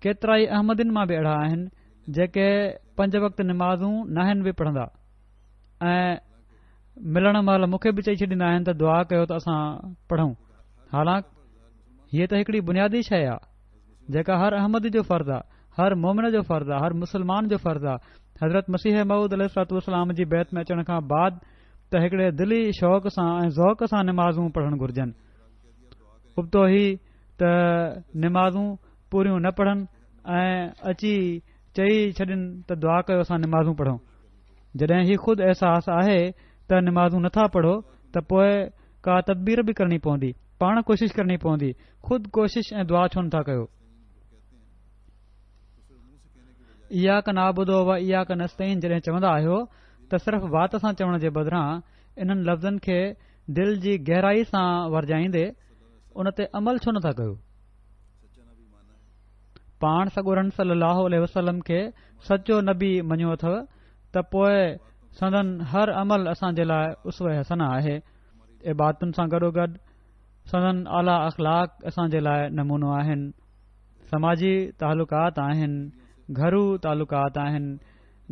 ڪيترائي احمدين مان به اهڙا آهن جيڪي پنج وقت نمازون ناهن به پڙهندا ۽ ملڻ مهل مون کي به چئي ڇڏيندا آهن ته دعا ڪيو ته اسان پڙهون حالانڪ هيء ته هڪڙي بنيادي شيء آهي جيڪا هر احمدي جو فرض آهي هر مومن جو فرض آهي هر مسلمان جو فرض آهي حضرت مسيح موعود عليه الصلوة والسلام جي بيعت ۾ اچڻ کان بعد ته هڪڙي دلي شوق سان ۽ ذوق سان نمازون پڙهڻ گهرجن ابتو هي ته نمازون پوريون نه پڙهن ۽ اچي چئي ڇڏين ته دعا ڪيو اسان نمازون پڙهون جڏهن هي خود احساس آهي ته نمازون نٿا پڙهو ته پوء ڪا تدبير به ڪرڻي پوندي، پاڻ ڪوشش ڪرڻي پوندي، خود ڪوشش ۽ دعا ڇو نٿا ڪيو؟ اياڪ نعبد و اياڪ نستعين جڏهن چوندا آهيو ته صرف وات سان چوڻ جي بدران انهن لفظن کي دل جي گهرائي سان ورجائيندي ان تي عمل ڇو نٿا ڪيو؟ پاڻ سڳورن صلي الله عليه وسلم کي سچو نبي مڃيو اٿو ته پوء سندن هر عمل اسان جي لاء اسوه حسنه آهي عبادتن سان گڏوگڏ سندن اعليٰ اخلاق اسان جي لاء نمونو آهن سماجي تعلقات آهن گهرو تعلقات آهن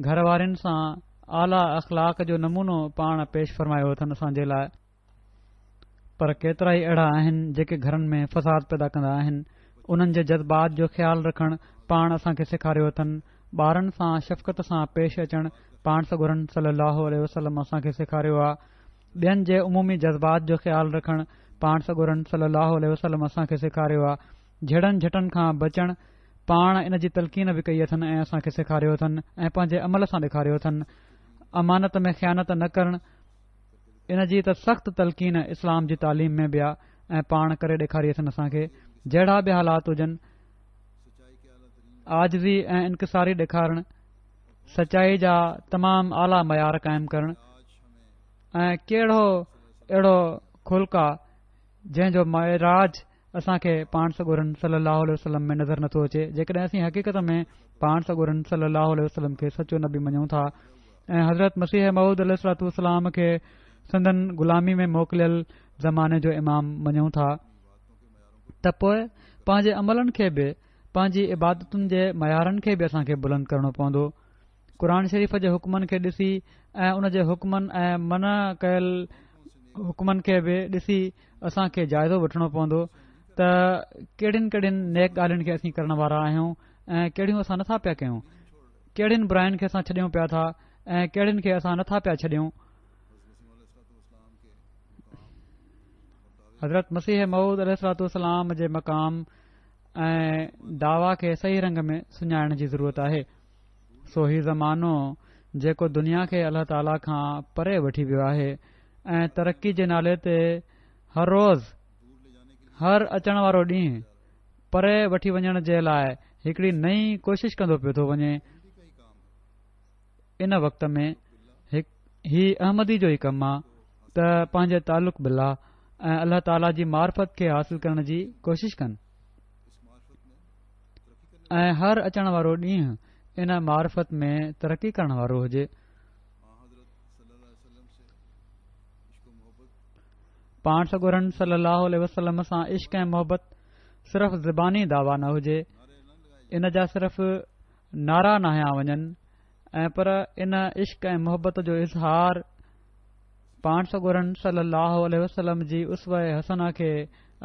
گهر وارين سان اعليٰ اخلاق جو نمونو پاڻ پيش فرمايو اٿن اسان جي لاء پر ڪيترائي اهڙا آهن جيڪي گهرن ۾ فساد پيدا ڪندا آهن انهن جي جذبات جو خيال رکڻ پاڻ اسان کي سيکاريو اٿن. ٻارن سان شفقت سان پيش اچڻ پاڻ سڳورن صلي الله عليه وسلم اسان کي سيکاريو آ. ٻين جي عمومي جذبات جو خيال رکڻ پاڻ سڳورن صلي الله عليه وسلم اسان کي سيکاريو آ. جهيڙن جهٽن کان بچڻ پاڻ ان جي تلقين به ڪئي اٿن ۽ اسان کي سيکاريو اٿن ۽ پنهنجي عمل سان ڏيکاريو اٿن. امانت ۾ خيانت نه ڪرڻ ان جي ته سخت تلقين اسلام جي تعليم ۾ به آ ۽ پاڻ ڪري ڏيکاري اٿن اسان کي. جهڙا به حالات هجن عاجزي ۽ انڪساري ڏيکارڻ، سچائي جا تمام اعليٰ معيار قائم ڪرڻ ۽ ڪهڙو اهڙو خلق آ جنهن جو معراج اسان کي پاڻ سڳورن صلي الله عليه وسلم ۾ نظر نٿو اچي. جيڪڏهن اسين حقيقت ۾ پاڻ سڳورن صلي الله عليه وسلم کي سچو نبي مڃون ٿا ۽ حضرت مسيح موعود عليه الصلوة والسلام کي سندن غلامي ۾ موڪليل زماني جو امام مڃون ٿا ته پوء پنهنجي عملن کي به پنهنجي عبادتن جي معيارن کي به اسان کي بلند ڪرڻو پوندو. قرآن شريف جي حڪمن کي ڏسي ۽ ان جي حڪمن ۽ منع ڪيل حڪمن کي به ڏسي اسان کي جائزو وٺڻو پوندو ته ڪهڙين ڪهڙين نيڪ ڳالهين کي اسين ڪرڻ وارا آهيون ۽ ڪهڙيون اسان نٿا پيا ڪيون، ڪهڙين براين کي اسان ڇڏيون پيا ٿا ۽ ڪهڙين کي اسان نٿا پيا ڇڏيون. حضرت مسيح موعود عليه الصلوة والسلام جي مقام ۽ دعويٰ کي صحيح رنگ ۾ سڃاڻڻ جي ضرورت آهي. سو هي زمانو جيڪو دنيا کي الله تعاليٰ کان پري وٺي ويو آهي ۽ ترقي جي نالي تي هر روز هر اچڻ وارو ڏينهن پري وٺي وڃڻ جي لاء هڪڙي نئين ڪوشش ڪندو پيو ٿو وڃي، ان وقت ۾ هي احمدي جو ئي ڪم آ ته پنهنجي تعلق بالله ۽ الله تعاليٰ جي معرفت کي حاصل ڪرڻ جي ڪوشش ڪن ۽ هر اچڻ وارو ڏينهن ان معرفت ۾ ترقي ڪرڻ وارو هجي. پاڻ سڳورن صلي الله عليه وسلم سان عشق ۽ محبت صرف زباني دعويٰ نه هجي، ان جا صرف نعرا نه هنيا وڃن ۽ پر ان عشق ۽ محبت جو اظهار پاڻ سڳورن صلي الله عليه وسلم جي اسوه حسنه کي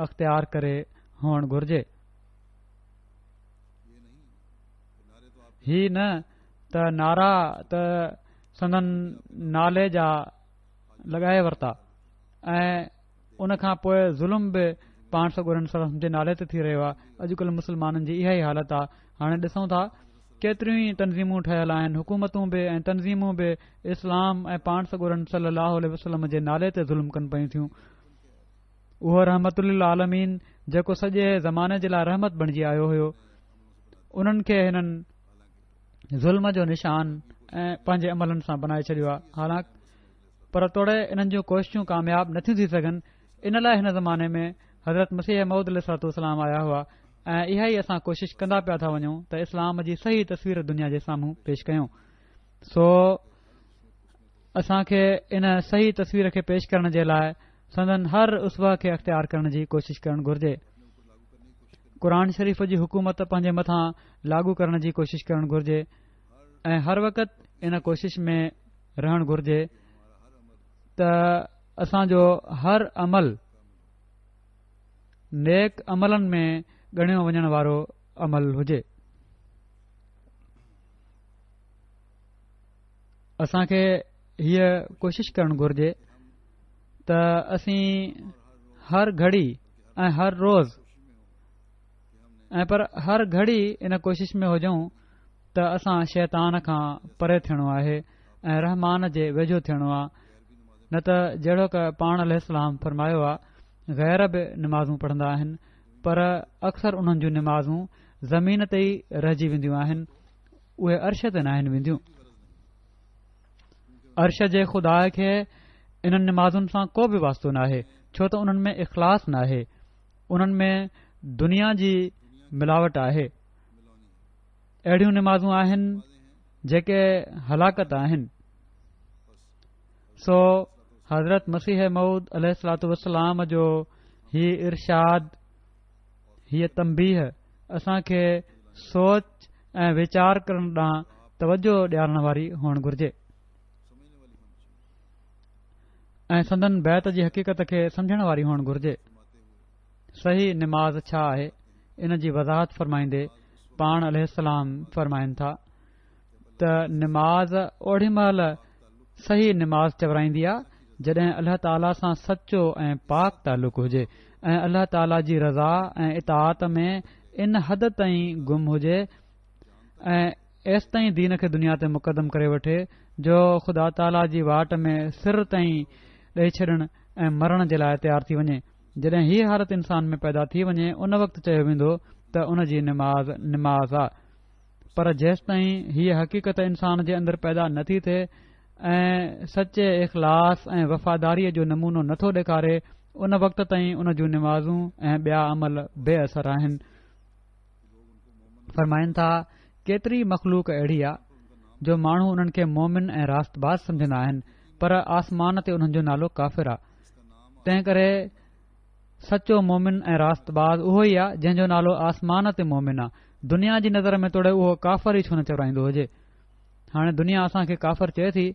اختيار ڪري هئڻ گهرجي. هي نه ته نعرا ته سندن نالي جا لڳائي ورتا ۽ ان کان پوء ظلم به پاڻ سڳورن صلي الله عليه وسلم جي نالي تي ٿي رهيو آهي. اڄڪلهه مسلمانن جي اها ئي حالت آهي. هاڻي ڏسون ٿا ڪيتريون ئي تنظيمون ٺهيل آهن، حڪومتون به ۽ تنظيمون به اسلام ۽ پاڻ سڳورن صلي الله عليه وسلم جي نالي تي ظلم ڪن پيون ٿيون. اهو رحمت للعالمين جيڪو سڄي زماني جي لاء رحمت بڻجي آيو هيو، انهن کي هنن ظلم جو نشان ۽ پنهنجي عملن سان بنائي ڇڏيو آهي. حالانڪ پر توڙي انهن جون ڪوششون ڪامياب نٿيون ٿي سگهن، ان لاء هن زماني ۾ حضرت مسيح موعود عليه الصلوة والسلام آيا هئا ۽ اها ئي اسان ڪوشش ڪندا پيا ٿا وڃون ته اسلام جي صحيح تصوير دنيا جي سامهون پيش ڪيون. سو اسان کي ان صحيح تصوير کي پيش ڪرڻ جي لاء سندن هر اسوه کي اختيار ڪرڻ جي ڪوشش ڪرڻ گهرجي. قرآن شريف جي حڪومت پنهنجي مٿان لاڳو ڪرڻ جي ڪوشش ڪرڻ گهرجي ۽ هر وقت ان ڪوشش ۾ رهڻ گهرجي ته اسان جو هر عمل نيڪ عملن ۾ ڳڻيو وڃڻ وارو عمل هجي. اسان کي هيء ڪوشش ڪرڻ گهرجي ته اسين هر گهڙي ۽ هر روز ۽ پر هر گهڙي ان ڪوشش ۾ هجون ته اسان شيطان کان پري ٿيڻو آهي ۽ رحمان جي ويجهو ٿيڻو آهي، نه ته جهڙوڪ پاڻ عليه السلام فرمايو آهي، غير به نمازون پڙهندا آهن پر اڪثر انهن جون نمازون زمين تي ئي رهجي وينديون آهن، اهي عرش تي ناهن وينديون. عرش جي خدا کي انهن نمازن سان ڪو به واسطو ناهي، ڇو ته انهن ۾ اخلاص ناهي، انهن ۾ دنيا جي ملاوٽ آهي. اهڙيون نمازون آهن جيڪي هلاڪت آهن. سو حضرت مسيح موعود عليه الصلوة والسلام جو هي ارشاد، هيء تنبيهه اسان کي سوچ ۽ ويچار ڪرڻ ڏانهن توجه ڏيارڻ واري هئڻ گهرجي ۽ سندن بيعت جي حقيقت کي سمجهڻ واري هئڻ گهرجي. صحيح نماز ڇا آهي؟ ان جي وضاحت فرمائيندي پاڻ عليه السلام فرمائن ٿا. ته نماز اوڏي مهل صحيح نماز چورائيندي آ جڏهن الله تعاليٰ سان سچو ۽ پاڪ تعلق هجي ۽ الله تعاليٰ جي رضا ۽ اطاعت ۾ ان حد تائين گم هجي ۽ ايستائين دين کي دنيا تي مقدم ڪري وٺي جو خدا تعاليٰ جي واٽ ۾ سر تائين ڏئي ڇڏڻ ۽ مرڻ جي لاء تيار ٿي وڃي. جڏهن هيء حالت انسان ۾ پيدا ٿي وڃي ان وقت چيو ويندو ته ان جي نماز نماز آ. پر جيستائين هيء حقيقت انسان جي اندر پيدا نه ٿي ٿئي ۽ سچي اخلاص ۽ وفاداريء جو نمونو نه ٿو ڏيکاري ان وقت تائين ان جون نمازون ۽ ٻيا عمل بي اثر آهن. فرمائن ٿا، ڪيتري مخلوق اهڙي آ جو ماڻهو انهن کي مومن ۽ راست باز سمجهندا آهن پر آسمان تي انهن جو نالو ڪافر آ. تنهن ڪري سچو مومن ۽ راست باز اهو ئي آ جنهن جو نالو آسمان تي مومن آ. دنيا جي نظر ۾ توڙي اهو ڪافر ئي ڇو نه چورائيندو هجي. هاڻي دنيا اسان کي ڪافر چئي ٿي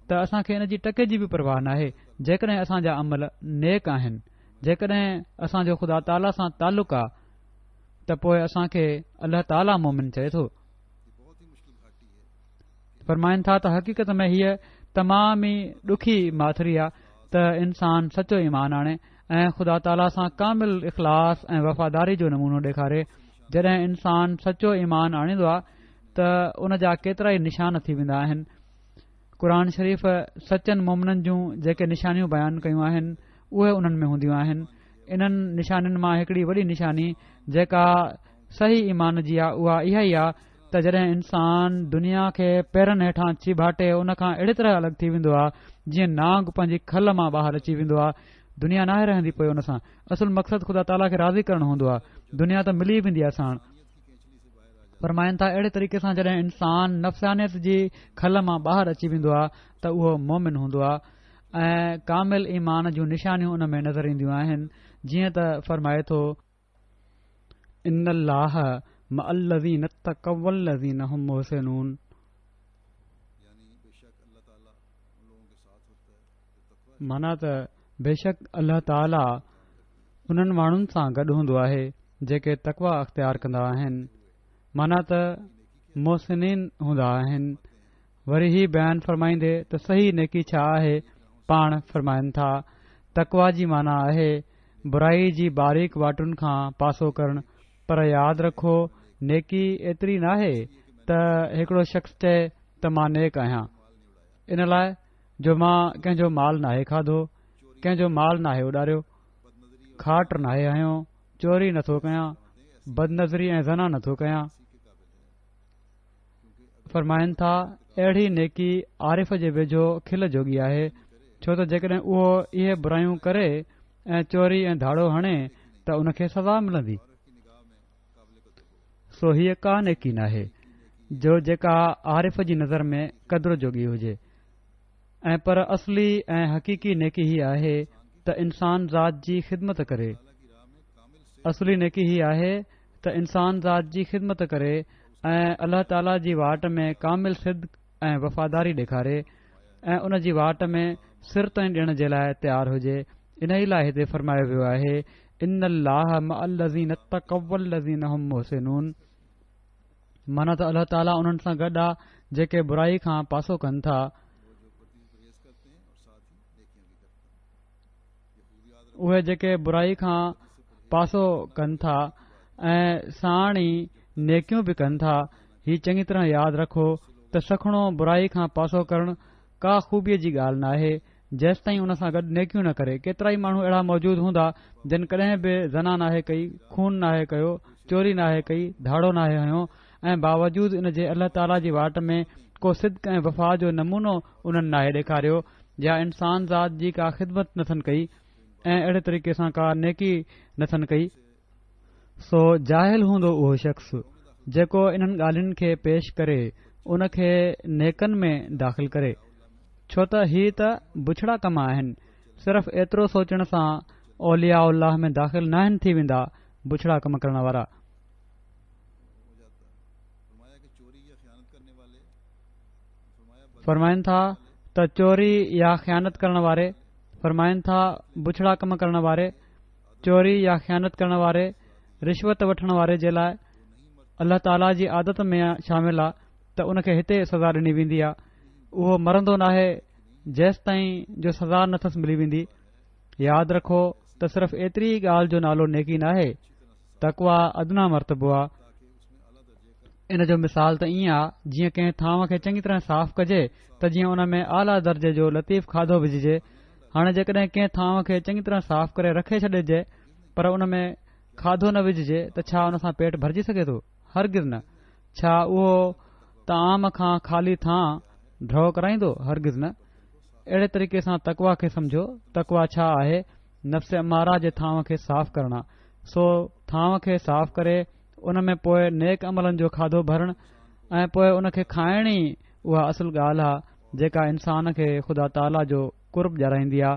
ته اسان کي ان جي ٽڪي جي به پرواهه ناهي جيڪڏهن اسان جا عمل نيڪ آهن، جيڪڏهن اسان جو خدا تعاليٰ سان تعلق آ ته پوء اسان کي الله تعاليٰ مومن چئي ٿو. فرمائن ٿا ته حقيقت ۾ هيء تمام ئي ڏکي ماٿري آ ته انسان سچو ايمان آڻي ۽ خدا تعاليٰ سان ڪامل اخلاص ۽ وفاداري جو نمونو ڏيکاري. جڏهن انسان سچو ايمان آڻيندو آ ته ان جا ڪيترائي نشان ٿي ويندا آهن. قرآن شريف سچن مومنن جون جيڪي نشانيون بيان ڪيون آهن اهي انهن ۾ هونديون آهن. انهن نشانين مان هڪڙي وڏي نشاني جيڪا صحيح ايمان جي آ اها اها ئي آ ته جڏهن انسان دنيا کي پيرن هيٺان چيڀاٽي ان کان اهڙي طرح الڳ ٿي ويندو آ جيئن نانگ پنهنجي کل مان ٻاهر اچي ويندو آ. دنيا ناهي رهندي پوء ان سان. اصل مقصد خدا تعاليٰ کي راضي ڪرڻ هوندو آ. دنيا ته ملي ويندي آ ساڻ. فرمائن ٿا اهڙي طريقي سان جڏهن انسان نفسانيت جي کل مان ٻاهر اچي ويندو آ ته اهو مومن هوندو آ ۽ ڪامل ايمان جون نشانيون ان ۾ نظر اينديون آهن جيئن ته فرمائي ٿو. ان الله مع الذين اتقوا والذين هم محسنون. معنيٰ ته بيشڪ الله تعاليٰ انهن ماڻهن سان گڏ هوندو آهي جيڪي تقويٰ اختيار ڪندا آهن معنيٰ ته محسنين هوندا آهن. وري هي بيان فرمائيندي ته صحيح نيڪي ڇا آهي؟ پاڻ فرمائن ٿا، تقويٰ جي معنيٰ آهي برائي جي باريڪ واٽن کان پاسو ڪرڻ پر ياد رکو نيڪي ايتري ناهي ته هڪڙو شخص چئي ته مان نيڪ آهيان ان لاء جو مان ڪنهن جو مال ناهي کاڌو، ڪنهن جو مال ناهي اڏاريو، کاٽ ناهي هنيو، چوري نٿو ڪيان، بدنظري ۽ زنا نٿو ڪيان. فرمائن ٿا، اهڙي نيڪي عارف جي ويجهو کل جوڳي آهي، ڇو ته جيڪڏهن اهو اهي برايون ڪري ۽ چوري ۽ ڌاڙو هڻي ته ان کي سزا ملندي. سو هيء ڪا نيڪي ناهي جو جيڪا عارف جي نظر ۾ قدر جوڳي هجي ۽ پر اصلي ۽ حقيقي نيڪي هي آهي ته انسان ذات جي خدمت ڪري. اصلي نيڪي هي آهي ته انسان ذات جي خدمت ڪري ۽ الله تعاليٰ جي واٽ ۾ ڪامل صدق ۽ وفاداري ڏيکاري ۽ ان جي واٽ ۾ سر تائين ڏيڻ جي لاء تيار هجي انهي لاء هتي فرمايو ويو آهي ان الله مع الذين اتقوا والذين هم محسنون معنيٰ ته الله تعاليٰ انهن سان گڏ آ جيڪي برائي کان پاسو ڪن ٿا. اهي جيڪي برائي کان پاسو ڪن ٿا ۽ ساڻ ئي نيڪيون به ڪن ٿا. هي چڱي طرح ياد رکو ته سکڻو برائي کان پاسو ڪرڻ ڪا خوبيء جي ڳالهه ناهي، جيستائين ان سان گڏ نيڪيون نه ڪري. ڪيترائي ماڻهو اهڙا موجود هوندا جن ڪڏهن به زنا ناهي ڪئي، خون ناهي ڪيو، چوري ناهي ڪئي، ڌاڙو ناهي هنيو ۽ باوجود ان جي الله تعاليٰ جي واٽ ۾ ڪو صدق ۽ وفا جو نمونو انهن ناهي ڏيکاريو يا انسان ذات جي ڪا خدمت نٿن ڪئي ۽ اهڙي طريقي سان ڪا نيڪي نٿن ڪئي. سو جاهل هوندو اهو شخص جيڪو انهن ڳالهين کي پيش ڪري ان کي نيڪن ۾ داخل ڪري ڇو ته هي ته بڇڙا ڪم آهن صرف ايترو سوچڻ سان اولياء الله ۾ داخل ناهن ٿي ويندا بڇڙا ڪم ڪرڻ وارا. فرمائن ٿا ته چوري يا خيانت ڪرڻ واري، فرمائن ٿا بڇڙا ڪم ڪرڻ واري، چوري يا خيانت ڪرڻ واري، رشوت وٺڻ واري جي لاء الله تعاليٰ جي عادت ۾ شامل آ. ته ان کي هتي سزا ڏني ويندي آ. اهو مرندو ناهي جيستائين جو سزا نه ٿس ملي ويندي. ياد رکو ته صرف ايتري ئي ڳالهه جو نالو نيڪي ناهي. تقويٰ ادنيٰ مرتبو آ. ان جو مثال ته ائين آ جيئن ڪنهن ٿانو کي چڱي طرح صاف ڪجي ته جيئن ان ۾ اعليٰ درجي جو لطيف کاڌو وجهجي. هاڻي جيڪڏهن ڪنهن ٿانو کي چڱي طرح صاف ڪري رکي ڇڏجي پر ان ۾ کاڌو نه وجهجي ته ڇا ان سان پيٽ ڀرجي سگهي ٿو؟ هرگز نه. ڇا اهو طعام کان خالي ٿانء ڍؤ ڪرائيندو؟ هرگز نه. اهڙي طريقي سان تقويٰ کي سمجهو. تقويٰ ڇا آهي؟ نفس اماره جي ٿانو کي صاف ڪرڻ آ. سو ٿانو کي صاف ڪري ان ۾ پوء نيڪ عملن جو کاڌو ڀرڻ ۽ پوء ان کي کائڻ ئي اها اصل ڳالهه آ جيڪا انسان کي خدا تعاليٰ جو قرب ڏيارائيندي آ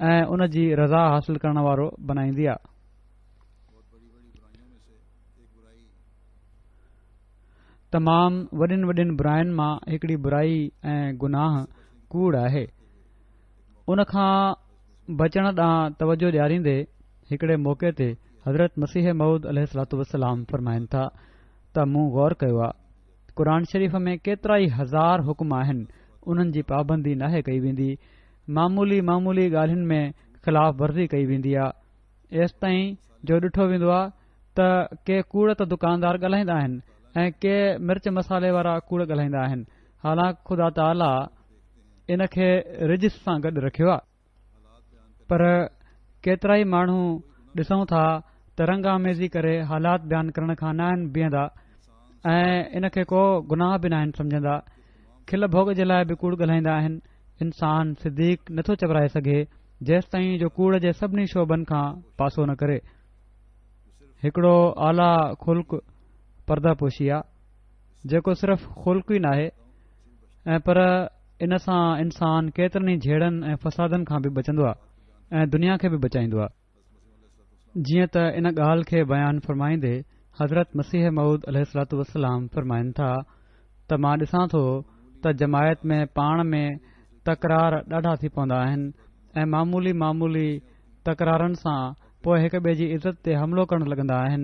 ۽ ان جي رضا حاصل ڪرڻ وارو بنائيندي آ. تمام وڏين وڏين براين مان هڪڙي برائي ۽ گناهه ڪوڙ آهي. ان کان بچڻ ڏانهن توجه ڏياريندي هڪڙي موقعي تي حضرت مسيح موعود عليه الصلوة والسلام فرمائن ٿا ته مون غور ڪيو آ قرآن شريف ۾ ڪيترائي هزار حڪم آهن انهن جي پابندي ناهي ڪئي ويندي معمولي معمولي ڳالهين ۾ خلاف ورزي ڪئي ويندي آ ايستائين جو ڏٺو ويندو آ ته ڪي ڪوڙ ته دڪاندار ڳالهائيندا آهن ۽ ڪي مرچ مصالحي وارا ڪوڙ ڳالهائيندا آهن حالانڪ خدا تعاليٰ ان کي رجس سان گڏ رکيو آ پر ڪيترائي ماڻهو ڏسون ٿا ته رنگ آميزي ڪري حالات بيان ڪرڻ کان ناهن بيهندا ۽ ان کي ڪو گناهه به ناهن سمجهندا کل ڀوڳ جي لاء به ڪوڙ ڳالهائيندا آهن انسان صديق نٿو چورائي سگهي جيستائين جو ڪوڙ جي سڀني شعبن کان پاسو نه ڪري. هڪڙو اعليٰ خلق پرده پوشي آ، جيڪو صرف خلق ئي ناهي ۽ پر ان سان انسان ڪيترن ئي جهيڙن ۽ فسادن کان به بچندو آ ۽ دنيا کي به بچائيندو آ. جيئن ته ان ڳالهه کي بيان فرمائيندي حضرت مسيح موعود عليه الصلوة والسلام فرمائن ٿا ته مان ڏسان ٿو ته جماعت ۾ پاڻ ۾ تڪرار ڏاڍا ٿي پوندا آهن ۽ معمولي معمولي تڪرارن سان پوء هڪ ٻئي جي عزت تي حملو ڪرڻ لڳندا آهن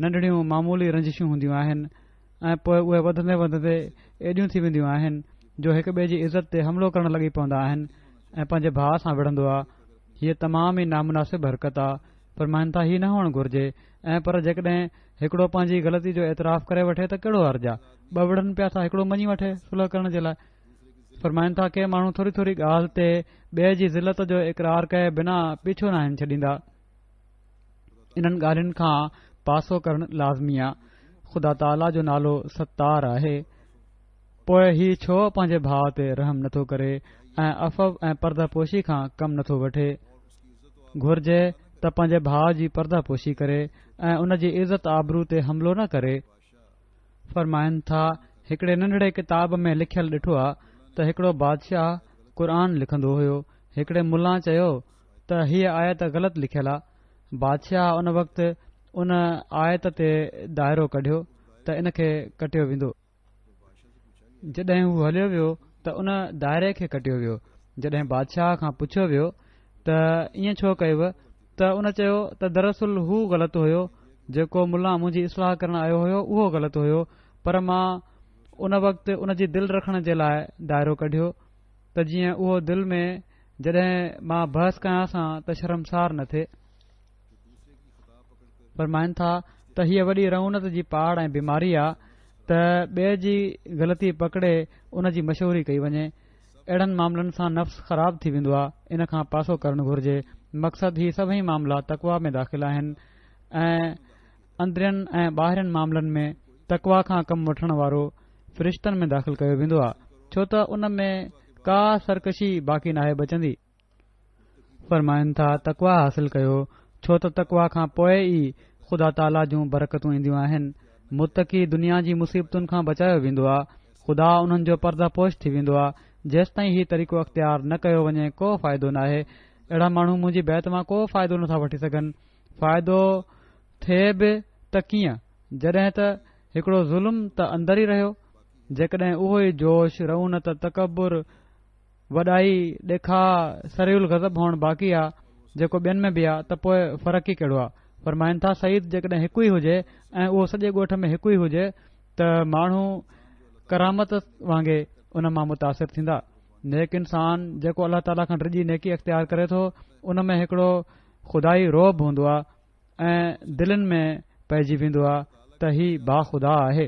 ننڍڙيون معمولي رنجشون هونديون آهن ۽ پوء اهي وڌندي وڌندي ايڏيون ٿي وينديون آهن جو هڪ ٻئي جي عزت تي حملو ڪرڻ لڳي پوندا آهن ۽ پنهنجي ڀاء سان وڙهندو آ هيء تمام ئي نامناسب حرڪت آ فرمائن ٿا هي نه هئڻ گهرجي ۽ پر جيڪڏهن هڪڙو پنهنجي غلطي جو اعتراف ڪري وٺي ته ڪهڙو حرج آ ٻه وڙهن پيا ٿا هڪڙو مڃي وٺي صلح ڪرڻ جي لاء فرمائن ٿا ڪي ماڻهو ٿوري ٿوري ڳالهه تي ٻئي جي ذلت جو اقرار ڪئي بنا پيڇو ناهن ڇڏيندا انهن ڳالهين کان پاسو ڪرڻ لازمي آ. خدا تعاليٰ جو نالو ستار آهي. پوء هي ڇو پنهنجي ڀاء تي رحم نٿو ڪري ۽ عفو ۽ پرده پوشي کان ڪم نٿو وٺي؟ گهرجي ته پنهنجي ڀاء جي پرده پوشي ڪري ۽ ان جي عزت آبرو تي حملو نه ڪري. فرمائن ٿا، هڪڙي ننڍڙي ڪتاب ۾ لکيل ڏٺو آ ته هڪڙو بادشاهه قرآن لکندو هيو، هڪڙي ملان چيو ته هيء آيت غلط لکيل آ. بادشاهه ان وقت ان آيت تي دائرو ڪڍيو ته ان کي ڪٽيو ويندو. جڏهن هو هليو ويو ته ان دائري کي ڪٽيو ويو. جڏهن بادشاهه کان پڇيو ويو ته ائين ڇو ڪيو ته ان چيو ته دراصل هو غلط هيو، جيڪو ملان منهنجي اصلاح ڪرڻ آيو هيو اهو غلط هيو پر مان ان وقت ان جي دل رکڻ جي لاء دائرو ڪڍيو ته جيئن اهو دل ۾ جڏهن مان بحث ڪيانس ته شرمسار نه ٿئي. فرمائن ٿا ته هيء وڏي رعونت جي پاڙ ۽ بيماري آ ته ٻئي جي غلطي پڪڙي ان جي مشهوري ڪئي وڃي. اهڙن معاملن سان نفس خراب ٿي ويندو آ، ان کان پاسو ڪرڻ گهرجي. مقصد هي سڀئي معاملا تقويٰ ۾ داخل آهن ۽ اندرين ۽ ٻاهرين معاملن ۾ تقويٰ کان ڪم وٺڻ وارو فرشتن ۾ داخل ڪيو ويندو آ، ڇو ته ان ۾ ڪا سرڪشي باقي ناهي بچندي. فرمائن ٿا، تقويٰ حاصل ڪيو، ڇو ته تقويٰ کان پوء ئي خدا تعاليٰ جون برڪتون اينديون آهن. متقي دنيا جي مصيبتن کان بچايو ويندو آ، خدا انهن جو پرده پوش ٿي ويندو آ. جيستائين هي طريقو اختيار نه ڪيو وڃي ڪو فائدو ناهي. اهڙا ماڻهو منهنجي بيعت مان ڪو فائدو نٿا وٺي سگهن. فائدو ٿئي به ته ڪيئن، جڏهن ته هڪڙو ظلم ته اندر ئي رهيو. جيڪڏهن اهو ئي جوش، رعونت، تڪبر، وڏائي، ڏيکاء، سريع الغضب هئڻ باقي آ، جيڪو ٻين ۾ به آ، ته پوء فرق ئي ڪهڙو آ؟ فرمائن ٿا، سعيد جيڪڏهن هڪ ئي هجي ۽ اهو سڄي ڳوٺ ۾ هڪ ئي هجي ته ماڻهو ڪرامت وانگي ان مان متاثر ٿيندا. نيڪ انسان جيڪو الله تعاليٰ کان ڊڄي نيڪي اختيار ڪري ٿو ان ۾ هڪڙو خدائي رعب هوندو آهي ۽ دلين ۾ پئجي ويندو آهي ته هي باخدا آهي.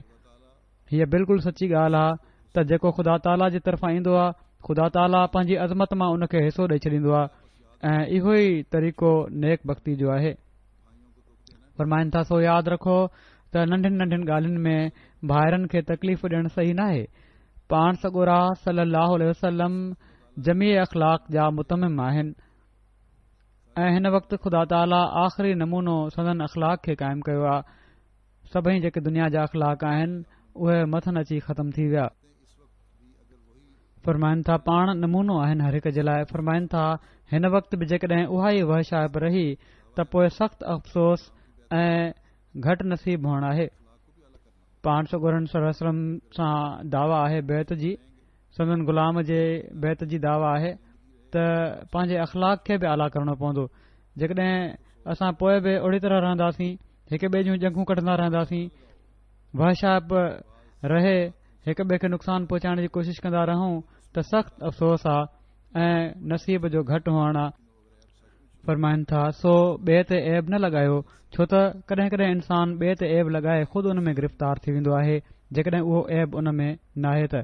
هيء بلڪل سچي ڳالهه آهي ته جيڪو خدا تعاليٰ جي طرفان ايندو آهي خدا تعاليٰ پنهنجي عظمت مان ان کي حصو ڏئي ڇڏيندو آهي ۽ اهو ئي طريقو نيڪ بختي جو آهي. فرمائن ٿا سو ياد رکو ته ننڍين ننڍين ڳالهين ۾ ڀائرن کي تڪليف ڏيڻ صحيح ناهي. پاڻ سڳورا صلي الله عليه وسلم جميع اخلاق جا متمم آهن ۽ هن وقت خدا تعاليٰ آخري نمونو سندن اخلاق کي قائم ڪيو آهي. سڀئي جيڪي دنيا جا اخلاق آهن اهي مٿن اچي ختم ٿي ويا. فرمائن ٿا پاڻ نمونو آهن هر هڪ جي لاء فرمائن ٿا هن وقت به جيڪڏهن اها ئي وحشائپ رهي ته پوء سخت افسوس ۽ گهٽ نصيب هئڻ آهي. پاڻ سڳورن صلي الله عليه وسلم سان دعويٰ آهي بيعت جي سندن غلام جي بيعت جي دعويٰ آهي ته پنهنجي اخلاق کي به اعليٰ ڪرڻو پوندو جيڪڏهن اسان پوء به اهڙي طرح رهنداسين هڪ ٻئي جون ڄنگهون ڪڍندا رهنداسين وحشائپ رهي هڪ ٻئي کي نقصان پهچائڻ جي ڪوشش ڪندا رهون ته سخت افسوس آ ۽ نصيب جو گهٽ هئڻ آ فرمائن ٿا سو ٻئي تي عيب نه لڳايو ڇو ته ڪڏهن ڪڏهن انسان ٻئي تي عيب لڳائي خود ان ۾ گرفتار ٿي ويندو آهي جيڪڏهن اهو عيب ان ۾ ناهي ته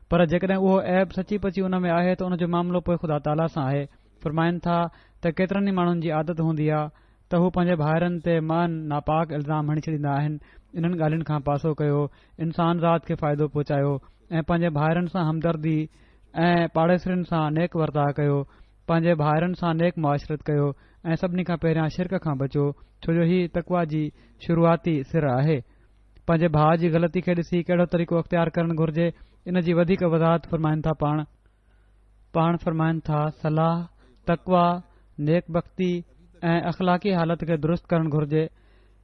پر جيڪڏهن اهو عيب سچي پچي ان ۾ آهي ته ان جو معاملو پوء خدا تعاليٰ سان آهي فرمائن ٿا ته ڪيترن ئي ماڻهن جي عادت هوندي آ ته هو پنهنجي ڀائرن تي معاً ناپاڪ الزام هڻي ڇڏيندا آهن انهن ڳالهين کان پاسو ڪيو انسان ذات کي فائدو پهچايو ۽ پنهنجي ڀائرن سان همدردي ۽ پاڙيسرين سان نيڪ ورتاء ڪيو پنهنجي ڀائرن سان نيڪ معاشرت ڪيو ۽ سڀني کان پهريان شرڪ کان بچو ڇو جو هي تقويٰ جي شروعاتي سر آهي. پنهنجي ڀاء جي غلطي کي ڏسي ڪهڙو طريقو اختيار ڪرڻ گهرجي ان جي وڌيڪ وضاحت فرمائن ٿا پاڻ. پاڻ فرمائن ٿا صلاح، تقويٰ، نيڪ بختي ۽ اخلاقي حالت کي درست ڪرڻ گهرجي.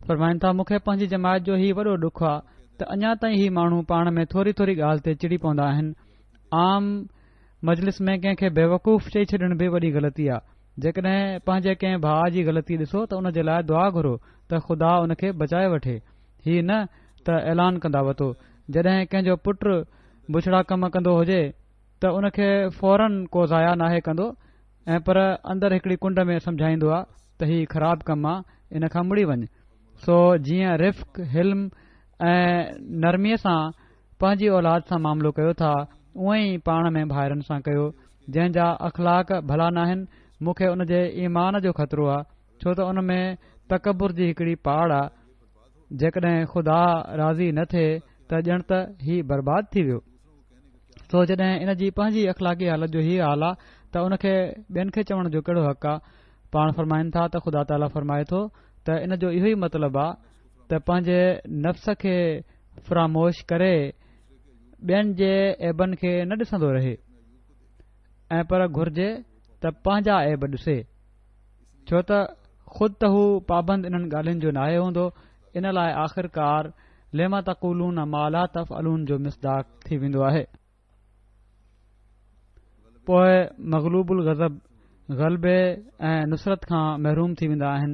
فرمائن ٿا مون کي پنهنجي جماعت جو هي وڏو ڏک آ ته اڃا تائين هي ماڻهو پاڻ ۾ ٿوري ٿوري ڳالهه تي چڙي پوندا آهن. عام مجلس ۾ ڪنهن کي بيوقوف چئي ڇڏڻ به وڏي غلطي آ. جيڪڏهن پنهنجي ڪنهن ڀاء جي غلطي ڏسو ته ان جي لاء دعا گهرو ته خدا ان کي بچائي وٺي. هي نه ته اعلان ڪندا وتو. جڏهن ڪنهن جو پٽ بڇڙا ڪم ڪندو هجي ته ان کي فورن ڪو ضايع ناهي ڪندو ۽ پر اندر هڪڙي ڪنڊ ۾ سمجهائيندو آ ته هي خراب ڪم آ ان کان مڙي وڃ. سو جيئن رفق، حلم ۽ نرميء سان پنهنجي اولاد سان معاملو ڪيو ٿا اونئن ئي پاڻ ۾ ڀائرن سان ڪيو جنهن جا اخلاق ڀلا ناهن مون کي ان جي ايمان جو خطرو آ ڇو ته ان ۾ تڪبر جي هڪڙي پاڙ آ جيڪڏهن خدا راضي نه ٿئي ته ڄڻ ته هي برباد ٿي ويو سو جڏهن ان جي پنهنجي اخلاقي حالت جو هي حال آ ته ان کي ٻين کي چوڻ جو ڪهڙو حق آ پاڻ فرمائن ٿا ته خدا تعاليٰ فرمائي ٿو ته ان جو اهو ئي مطلب آ ته پنهنجي نفس کي فراموش ڪري ٻين جي عيبن کي نه ڏسندو رهي ۽ پر گهرجي ته پنهنجا عيب ڏسي ڇو ته خود ته هو پابند انهن ڳالهين جو ناهي هوندو ان لاء آخرڪار لم تقولون ما لا تفعلون جو مصداق ٿي ويندو آهي. پوء مغلوب الغضب غلبي ۽ نصرت کان محروم ٿي ويندا آهن،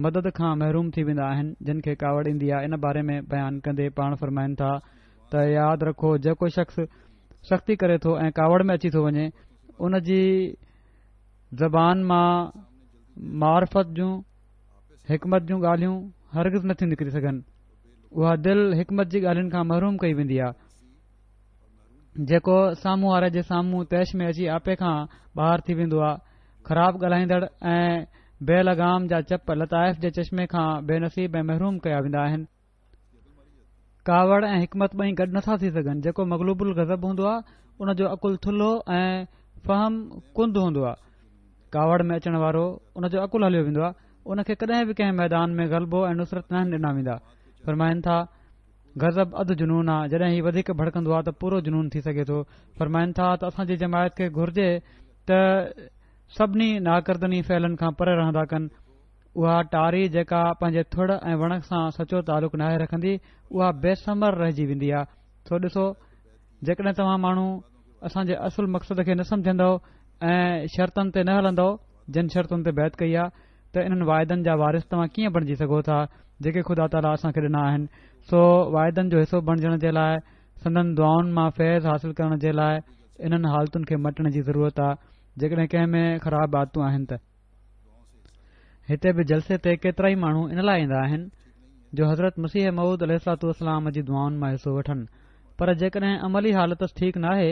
مدد کان محروم ٿي ويندا آهن، جن کي ڪاوڙ ايندي آهي ان باري ۾ بيان ڪندي پاڻ فرمائن ٿا ته ياد رکو جيڪو شخص سختي ڪري ٿو ۽ ڪاوڙ ۾ اچي ٿو وڃي ان جي زبان مان معرفت جون حڪمت جون ڳالهيون هرگز نٿيون نڪري سگهن اها دل حڪمت جي ڳالهين کان محروم ڪئي ويندي آهي جيڪو سامهون واري جي سامهون طيش ۾ اچي آپي کان ٻاهر ٿي ويندو آهي خراب ڳالهائيندڙ ۽ بي لگام جا چپ لطائف جي چشمي کان بي نصيب ۽ محروم ڪيا ويندا آهن ڪاوڙ ۽ حڪمت ٻئي گڏ نٿا ٿي سگهن جيڪو مغلوب الغضب هوندو آهي ان جو عقل ٿلهو ۽ فهم ڪند هوندو آهي ڪاوڙ ۾ اچڻ وارو ان جو عقل هليو ويندو آهي ان کي ڪڏهن به ڪنهن ميدان ۾ غلبو ۽ نصرت ناهن ڏنا ويندا فرمائن ٿا غضب اڌ جنون آ، جڏهن هي وڌيڪ ڀڙڪندو آ ته پورو جنون ٿي سگهي ٿو. فرمائن ٿا ته اسان جي جماعت کي گهرجي ته سڀني ناڪردني فعلن کان پري رهندا ڪن. اها ٽاري جيڪا پنهنجي ٿڙ ۽ وڻ سان سچو تعلق ناهي رکندي اها بي ثمر رهجي ويندي آ. سو ڏسو جيڪڏهن توهان ماڻهو اسان جي اصل مقصد کي نه سمجهندؤ ۽ شرطن تي نه هلندؤ جن شرطن تي بيعت ڪئي آ ته انهن واعدن جا وارث توهان ڪيئن بڻجي سگهو ٿا جيڪي خدا تعاليٰ اسان کي ڏنا آهن سو واعدن جو حصو بڻجڻ جي لاء سندن دعائن مان فيض حاصل ڪرڻ جي لاء انهن حالتن کي مٽڻ جي ضرورت آ، جيڪڏهن ڪنهن ۾ خراب عادتون آهن ته. هتي به جلسي تي ڪيترائي ماڻهو ان لاء ايندا آهن جو حضرت مسيح موعود عليه الصلوة والسلام جي دعائن مان حصو وٺن پر جيڪڏهن عملي حالت ٺيڪ ناهي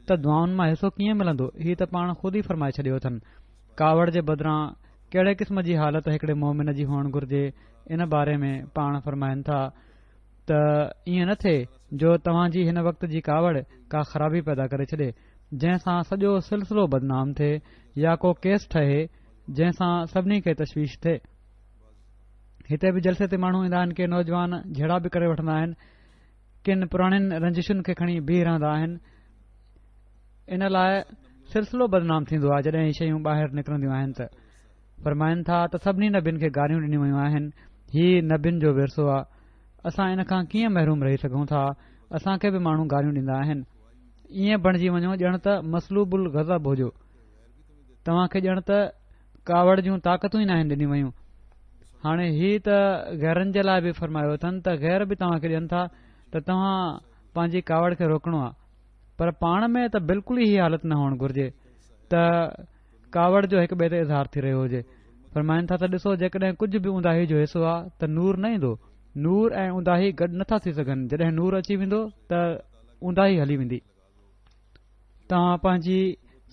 ته دعائن مان حصو ڪيئن ملندو هي ته پاڻ خود ئي فرمائي ڇڏيو اٿن ڪاوڙ جي بدران ڪهڙي قسم جي حالت هڪڙي مومن جي هئڻ گهرجي ان باري ۾ پاڻ فرمائن ٿا ته ائين نه ٿئي جو توهان جي هن وقت جي ڪاوڙ ڪا خرابي پيدا ڪري ڇڏي جنهن سان سڄو سلسلو بدنام ٿئي يا ڪو ڪيس ٺهي جنهن سان سڀني کي تشويش ٿئي. هتي به جلسي تي ماڻهو ايندا آهن ڪي نوجوان جهيڙا به ڪري وٺندا آهن ڪن پراڻين رنجشن کي کڻي بيهي رهندا آهن ان لاء سلسلو بدنام ٿيندو آهي جڏهن هي شيون ٻاهر نڪرنديون آهن ته فرمائن ٿا ته سڀني نبين کي گاريون ڏنيون ويون آهن هي نبين جو ورثو آهي اسان ان کان ڪيئن محروم رهي سگهون ٿا اسان کي به ماڻهو گاريون ڏيندا آهن ائين بڻجي وڃو ڄڻ ته مسلوب الغضب هجو توهان کي ڄڻ ته ڪاوڙ جون طاقتون ئي ناهن ڏنيون ويون هاڻي هي ته غيرن جي لاء به فرمايو اٿن ته غير به توهان کي ڏين ٿا ته توهان پنهنجي ڪاوڙ کي روڪڻو آهي پر پاڻ ۾ ته بلڪل ئي هي حالت نه هئڻ گهرجي ته ڪاوڙ جو هڪ ٻئي تي اظهار ٿي رهيو هجي. فرمائن ٿا ته ڏسو جيڪڏهن ڪجهه به اونداهي جو حصو آ ته نور نه ايندو. نور ۽ اونداهي گڏ نه ٿا ٿي سگهن جڏهن نور اچي ويندو ته اونداهي هلي ويندي. توهان پنهنجي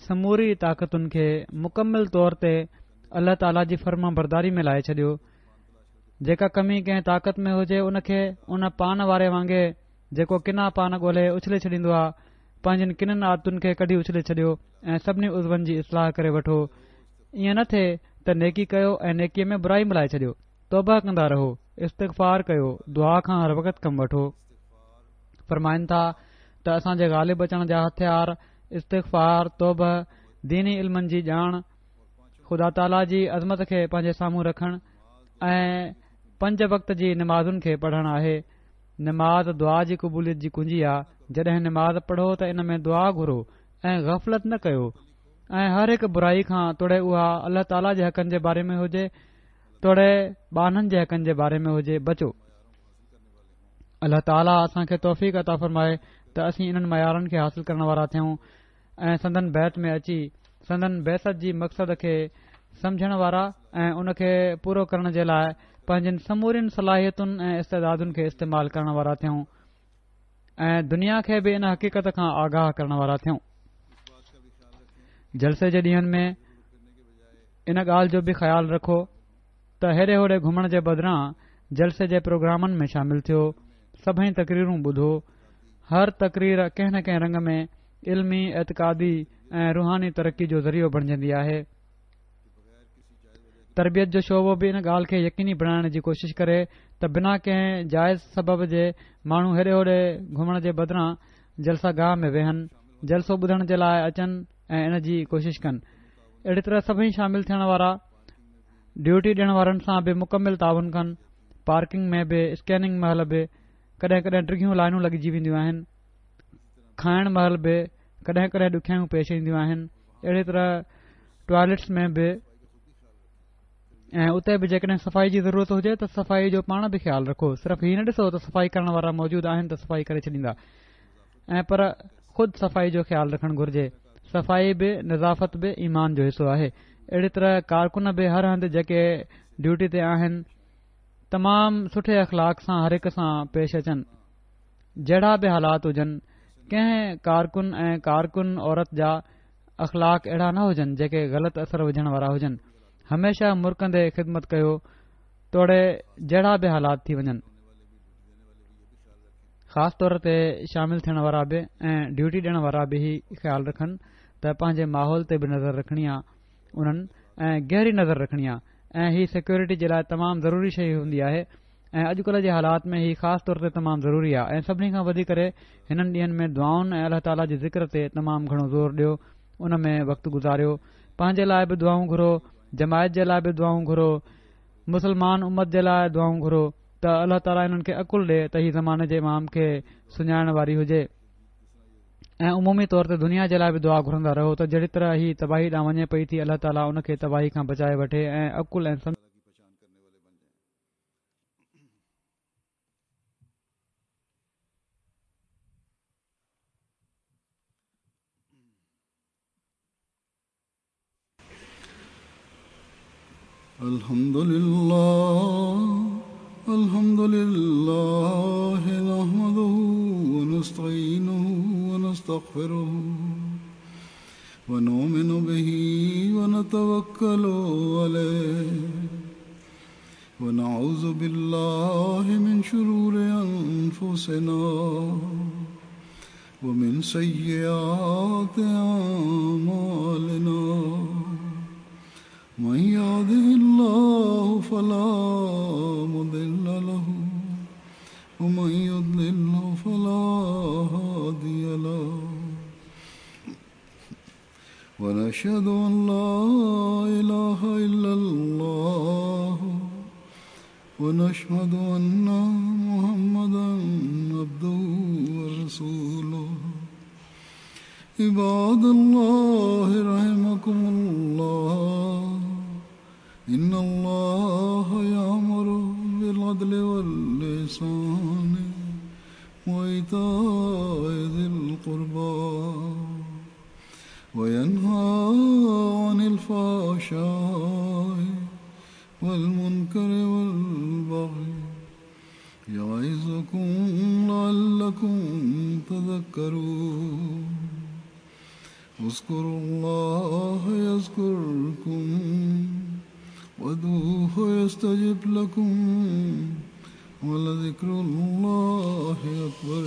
سموري طاقتن کي مڪمل طور تي الله تعاليٰ جي فرمانبرداري ۾ لائي ڇڏيو. جيڪا ڪمي ڪنهن طاقت ۾ هجي ان کي ان پان واري وانگي جيڪو ڪنا پان ڳولهي اڇلي ڇڏيندو آ پنهنجين ڪنن عادتن کي ڪڍي اڇلي ڇڏيو ۽ سڀني عضون جي اصلاح ڪري وٺو ائين نه ٿئي ته نيڪي ڪيو ۽ نيڪي ۾ برائي ملائي ڇڏيو توبه ڪندا رهو استغفار ڪيو دعا کان هر وقت ڪم وٺو فرمائن ٿا ته اسان جي غالب اچڻ جا هٿيار استغفار توبه ديني علمن جي ڄاڻ خدا تعاليٰ جي عظمت کي پنهنجي سامهون رکڻ ۽ پنج وقت جي نمازن کي پڙهڻ آهي نماز دعا جي قبوليت جي ڪنجي آ، جڏهن نماز پڙهو ته ان ۾ دعا گهرو ۽ غفلت نه ڪيو ۽ هر هڪ برائي کان توڙي اها الله تعاليٰ جي حقن جي باري ۾ هجي توڙي ٻانهن جي حقن جي باري ۾ هجي بچو. الله تعاليٰ اسان کي توفيق عطا فرمائي ته اسين انهن معيارن کي حاصل ڪرڻ وارا ٿيون ۽ سندن بيعت ۾ اچي سندن بعثت جي مقصد کي سمجهڻ وارا ۽ ان کي پورو ڪرڻ جي لاء پنهنجين سمورين صلاحيتن ۽ استعدادن کي استعمال ڪرڻ وارا ٿيون ۽ دنيا کي به ان حقيقت کان آگاهه ڪرڻ وارا ٿيون. جلسي جي ڏينهن ۾ ان ڳالهه جو به خيال رکو ته هيڏي هوڏي گهمڻ جي بدران جلسي جي پروگرامن ۾ شامل ٿيو، سڀئي تقريرون ٻڌو، هر تقرير ڪنهن نه ڪنهن رنگ ۾ علمي، اعتقادي ۽ روحاني ترقي جو ذريعو بڻجندي آهي. تربيت جو شعبو به ان ڳالهه کي يقيني بڻائڻ جي ڪوشش ڪري ته بنا ڪنهن جائز سبب جي ماڻهو هيڏي هوڏي گهمڻ جي بدران جلسه گاهه ۾ ويهن، جلسو ٻڌڻ جي لاء اچن ۽ ان جي ڪوشش ڪن. اهڙي طرح سڀئي شامل ٿيڻ وارا ڊيوٽي ڏيڻ وارن سان به مڪمل تعاون ڪن، پارڪنگ ۾ به اسڪيننگ مهل به ڪڏهن ڪڏهن ڊگهيون لائنون لڳجي وينديون آهن، کائڻ مهل به ڪڏهن ڪڏهن ڏکيائيون پيش اينديون آهن، اهڙي طرح ٽوائلٽس ۾ به ۽ اتي به جيڪڏهن صفائي جي ضرورت هجي ته صفائي جو پاڻ به خيال رکو، صرف هي نه ڏسو ته صفائي ڪرڻ وارا موجود آهن ته صفائي ڪري ڇڏيندا ۽ پر خود صفائي جو خيال رکڻ گهرجي، صفائي به نظافت به ايمان جو حصو آهي، اهڙي طرح ڪارڪن به هر هنڌ جيڪي ڊيوٽي تي آهن تمام سٺي اخلاق سان هر هڪ سان پيش اچن جهڙا به حالات هجن ڪنهن ڪارڪن ۽ ڪارڪن عورت جا اخلاق اهڙا نه هجن جيڪي غلط اثر وجهڻ وارا هجن هميشه مرڪندي خدمت ڪيو توڙي جهڙا به حالات ٿي وڃن خاص طور تي شامل ٿيڻ وارا به ۽ ڊيوٽي ڏيڻ وارا به هي خيال رکن ته پنهنجي ماحول تي به نظر رکڻي آ انهن ۽ گهري نظر رکڻي آ ۽ هي سيڪيورٽي جي لاء تمام ضروري شيء هوندي آهي ۽ اڄڪلهه جي حالات ۾ هي خاص طور تي تمام ضروري آ ۽ سڀني کان وڌي ڪري هنن ڏينهن ۾ دعائن ۽ الله تعاليٰ جي ذڪر تي تمام گهڻو زور ڏيو ان ۾ وقت گذاريو پنهنجي لاء به دعائون گهرو جماعت جي لاء به دعائون گهرو مسلمان امت جي لاء دعائون گهرو ته الله تعاليٰ انهن کي عقل ڏي ته هي زماني جي امام کي سڃاڻڻ واري هجي ۽ عمومي طور تي دنيا جي لاء به دعا گهرندا رهو ته جهڙي طرح هي تباهي ڏانهن وڃي پئي ٿي الله تعاليٰ ان کي تباهي کان بچائي وٺي ۽ عقل ۽ الحمد لله الحمد لله نحمده ونستعينه ونستغفره ونؤمن به ونتوكل عليه ونعوذ بالله من شرور أنفسنا ومن سيئات أعمالنا من يهده الله فلا مضل له ومن يضلل فلا هادي له ونشهد أن لا إله إلا الله ونشهد أن محمدا عبده ورسوله. عباد الله رحمكم الله، إن الله يأمر بالعدل والإحسان وإيتاء ذي القربى وينهى عن الفحشاء والمنكر والبغي يعظكم لعلكم تذكرون. اذكروا الله يذكركم وادعوه يستجب لكم ولذكر الله أكبر.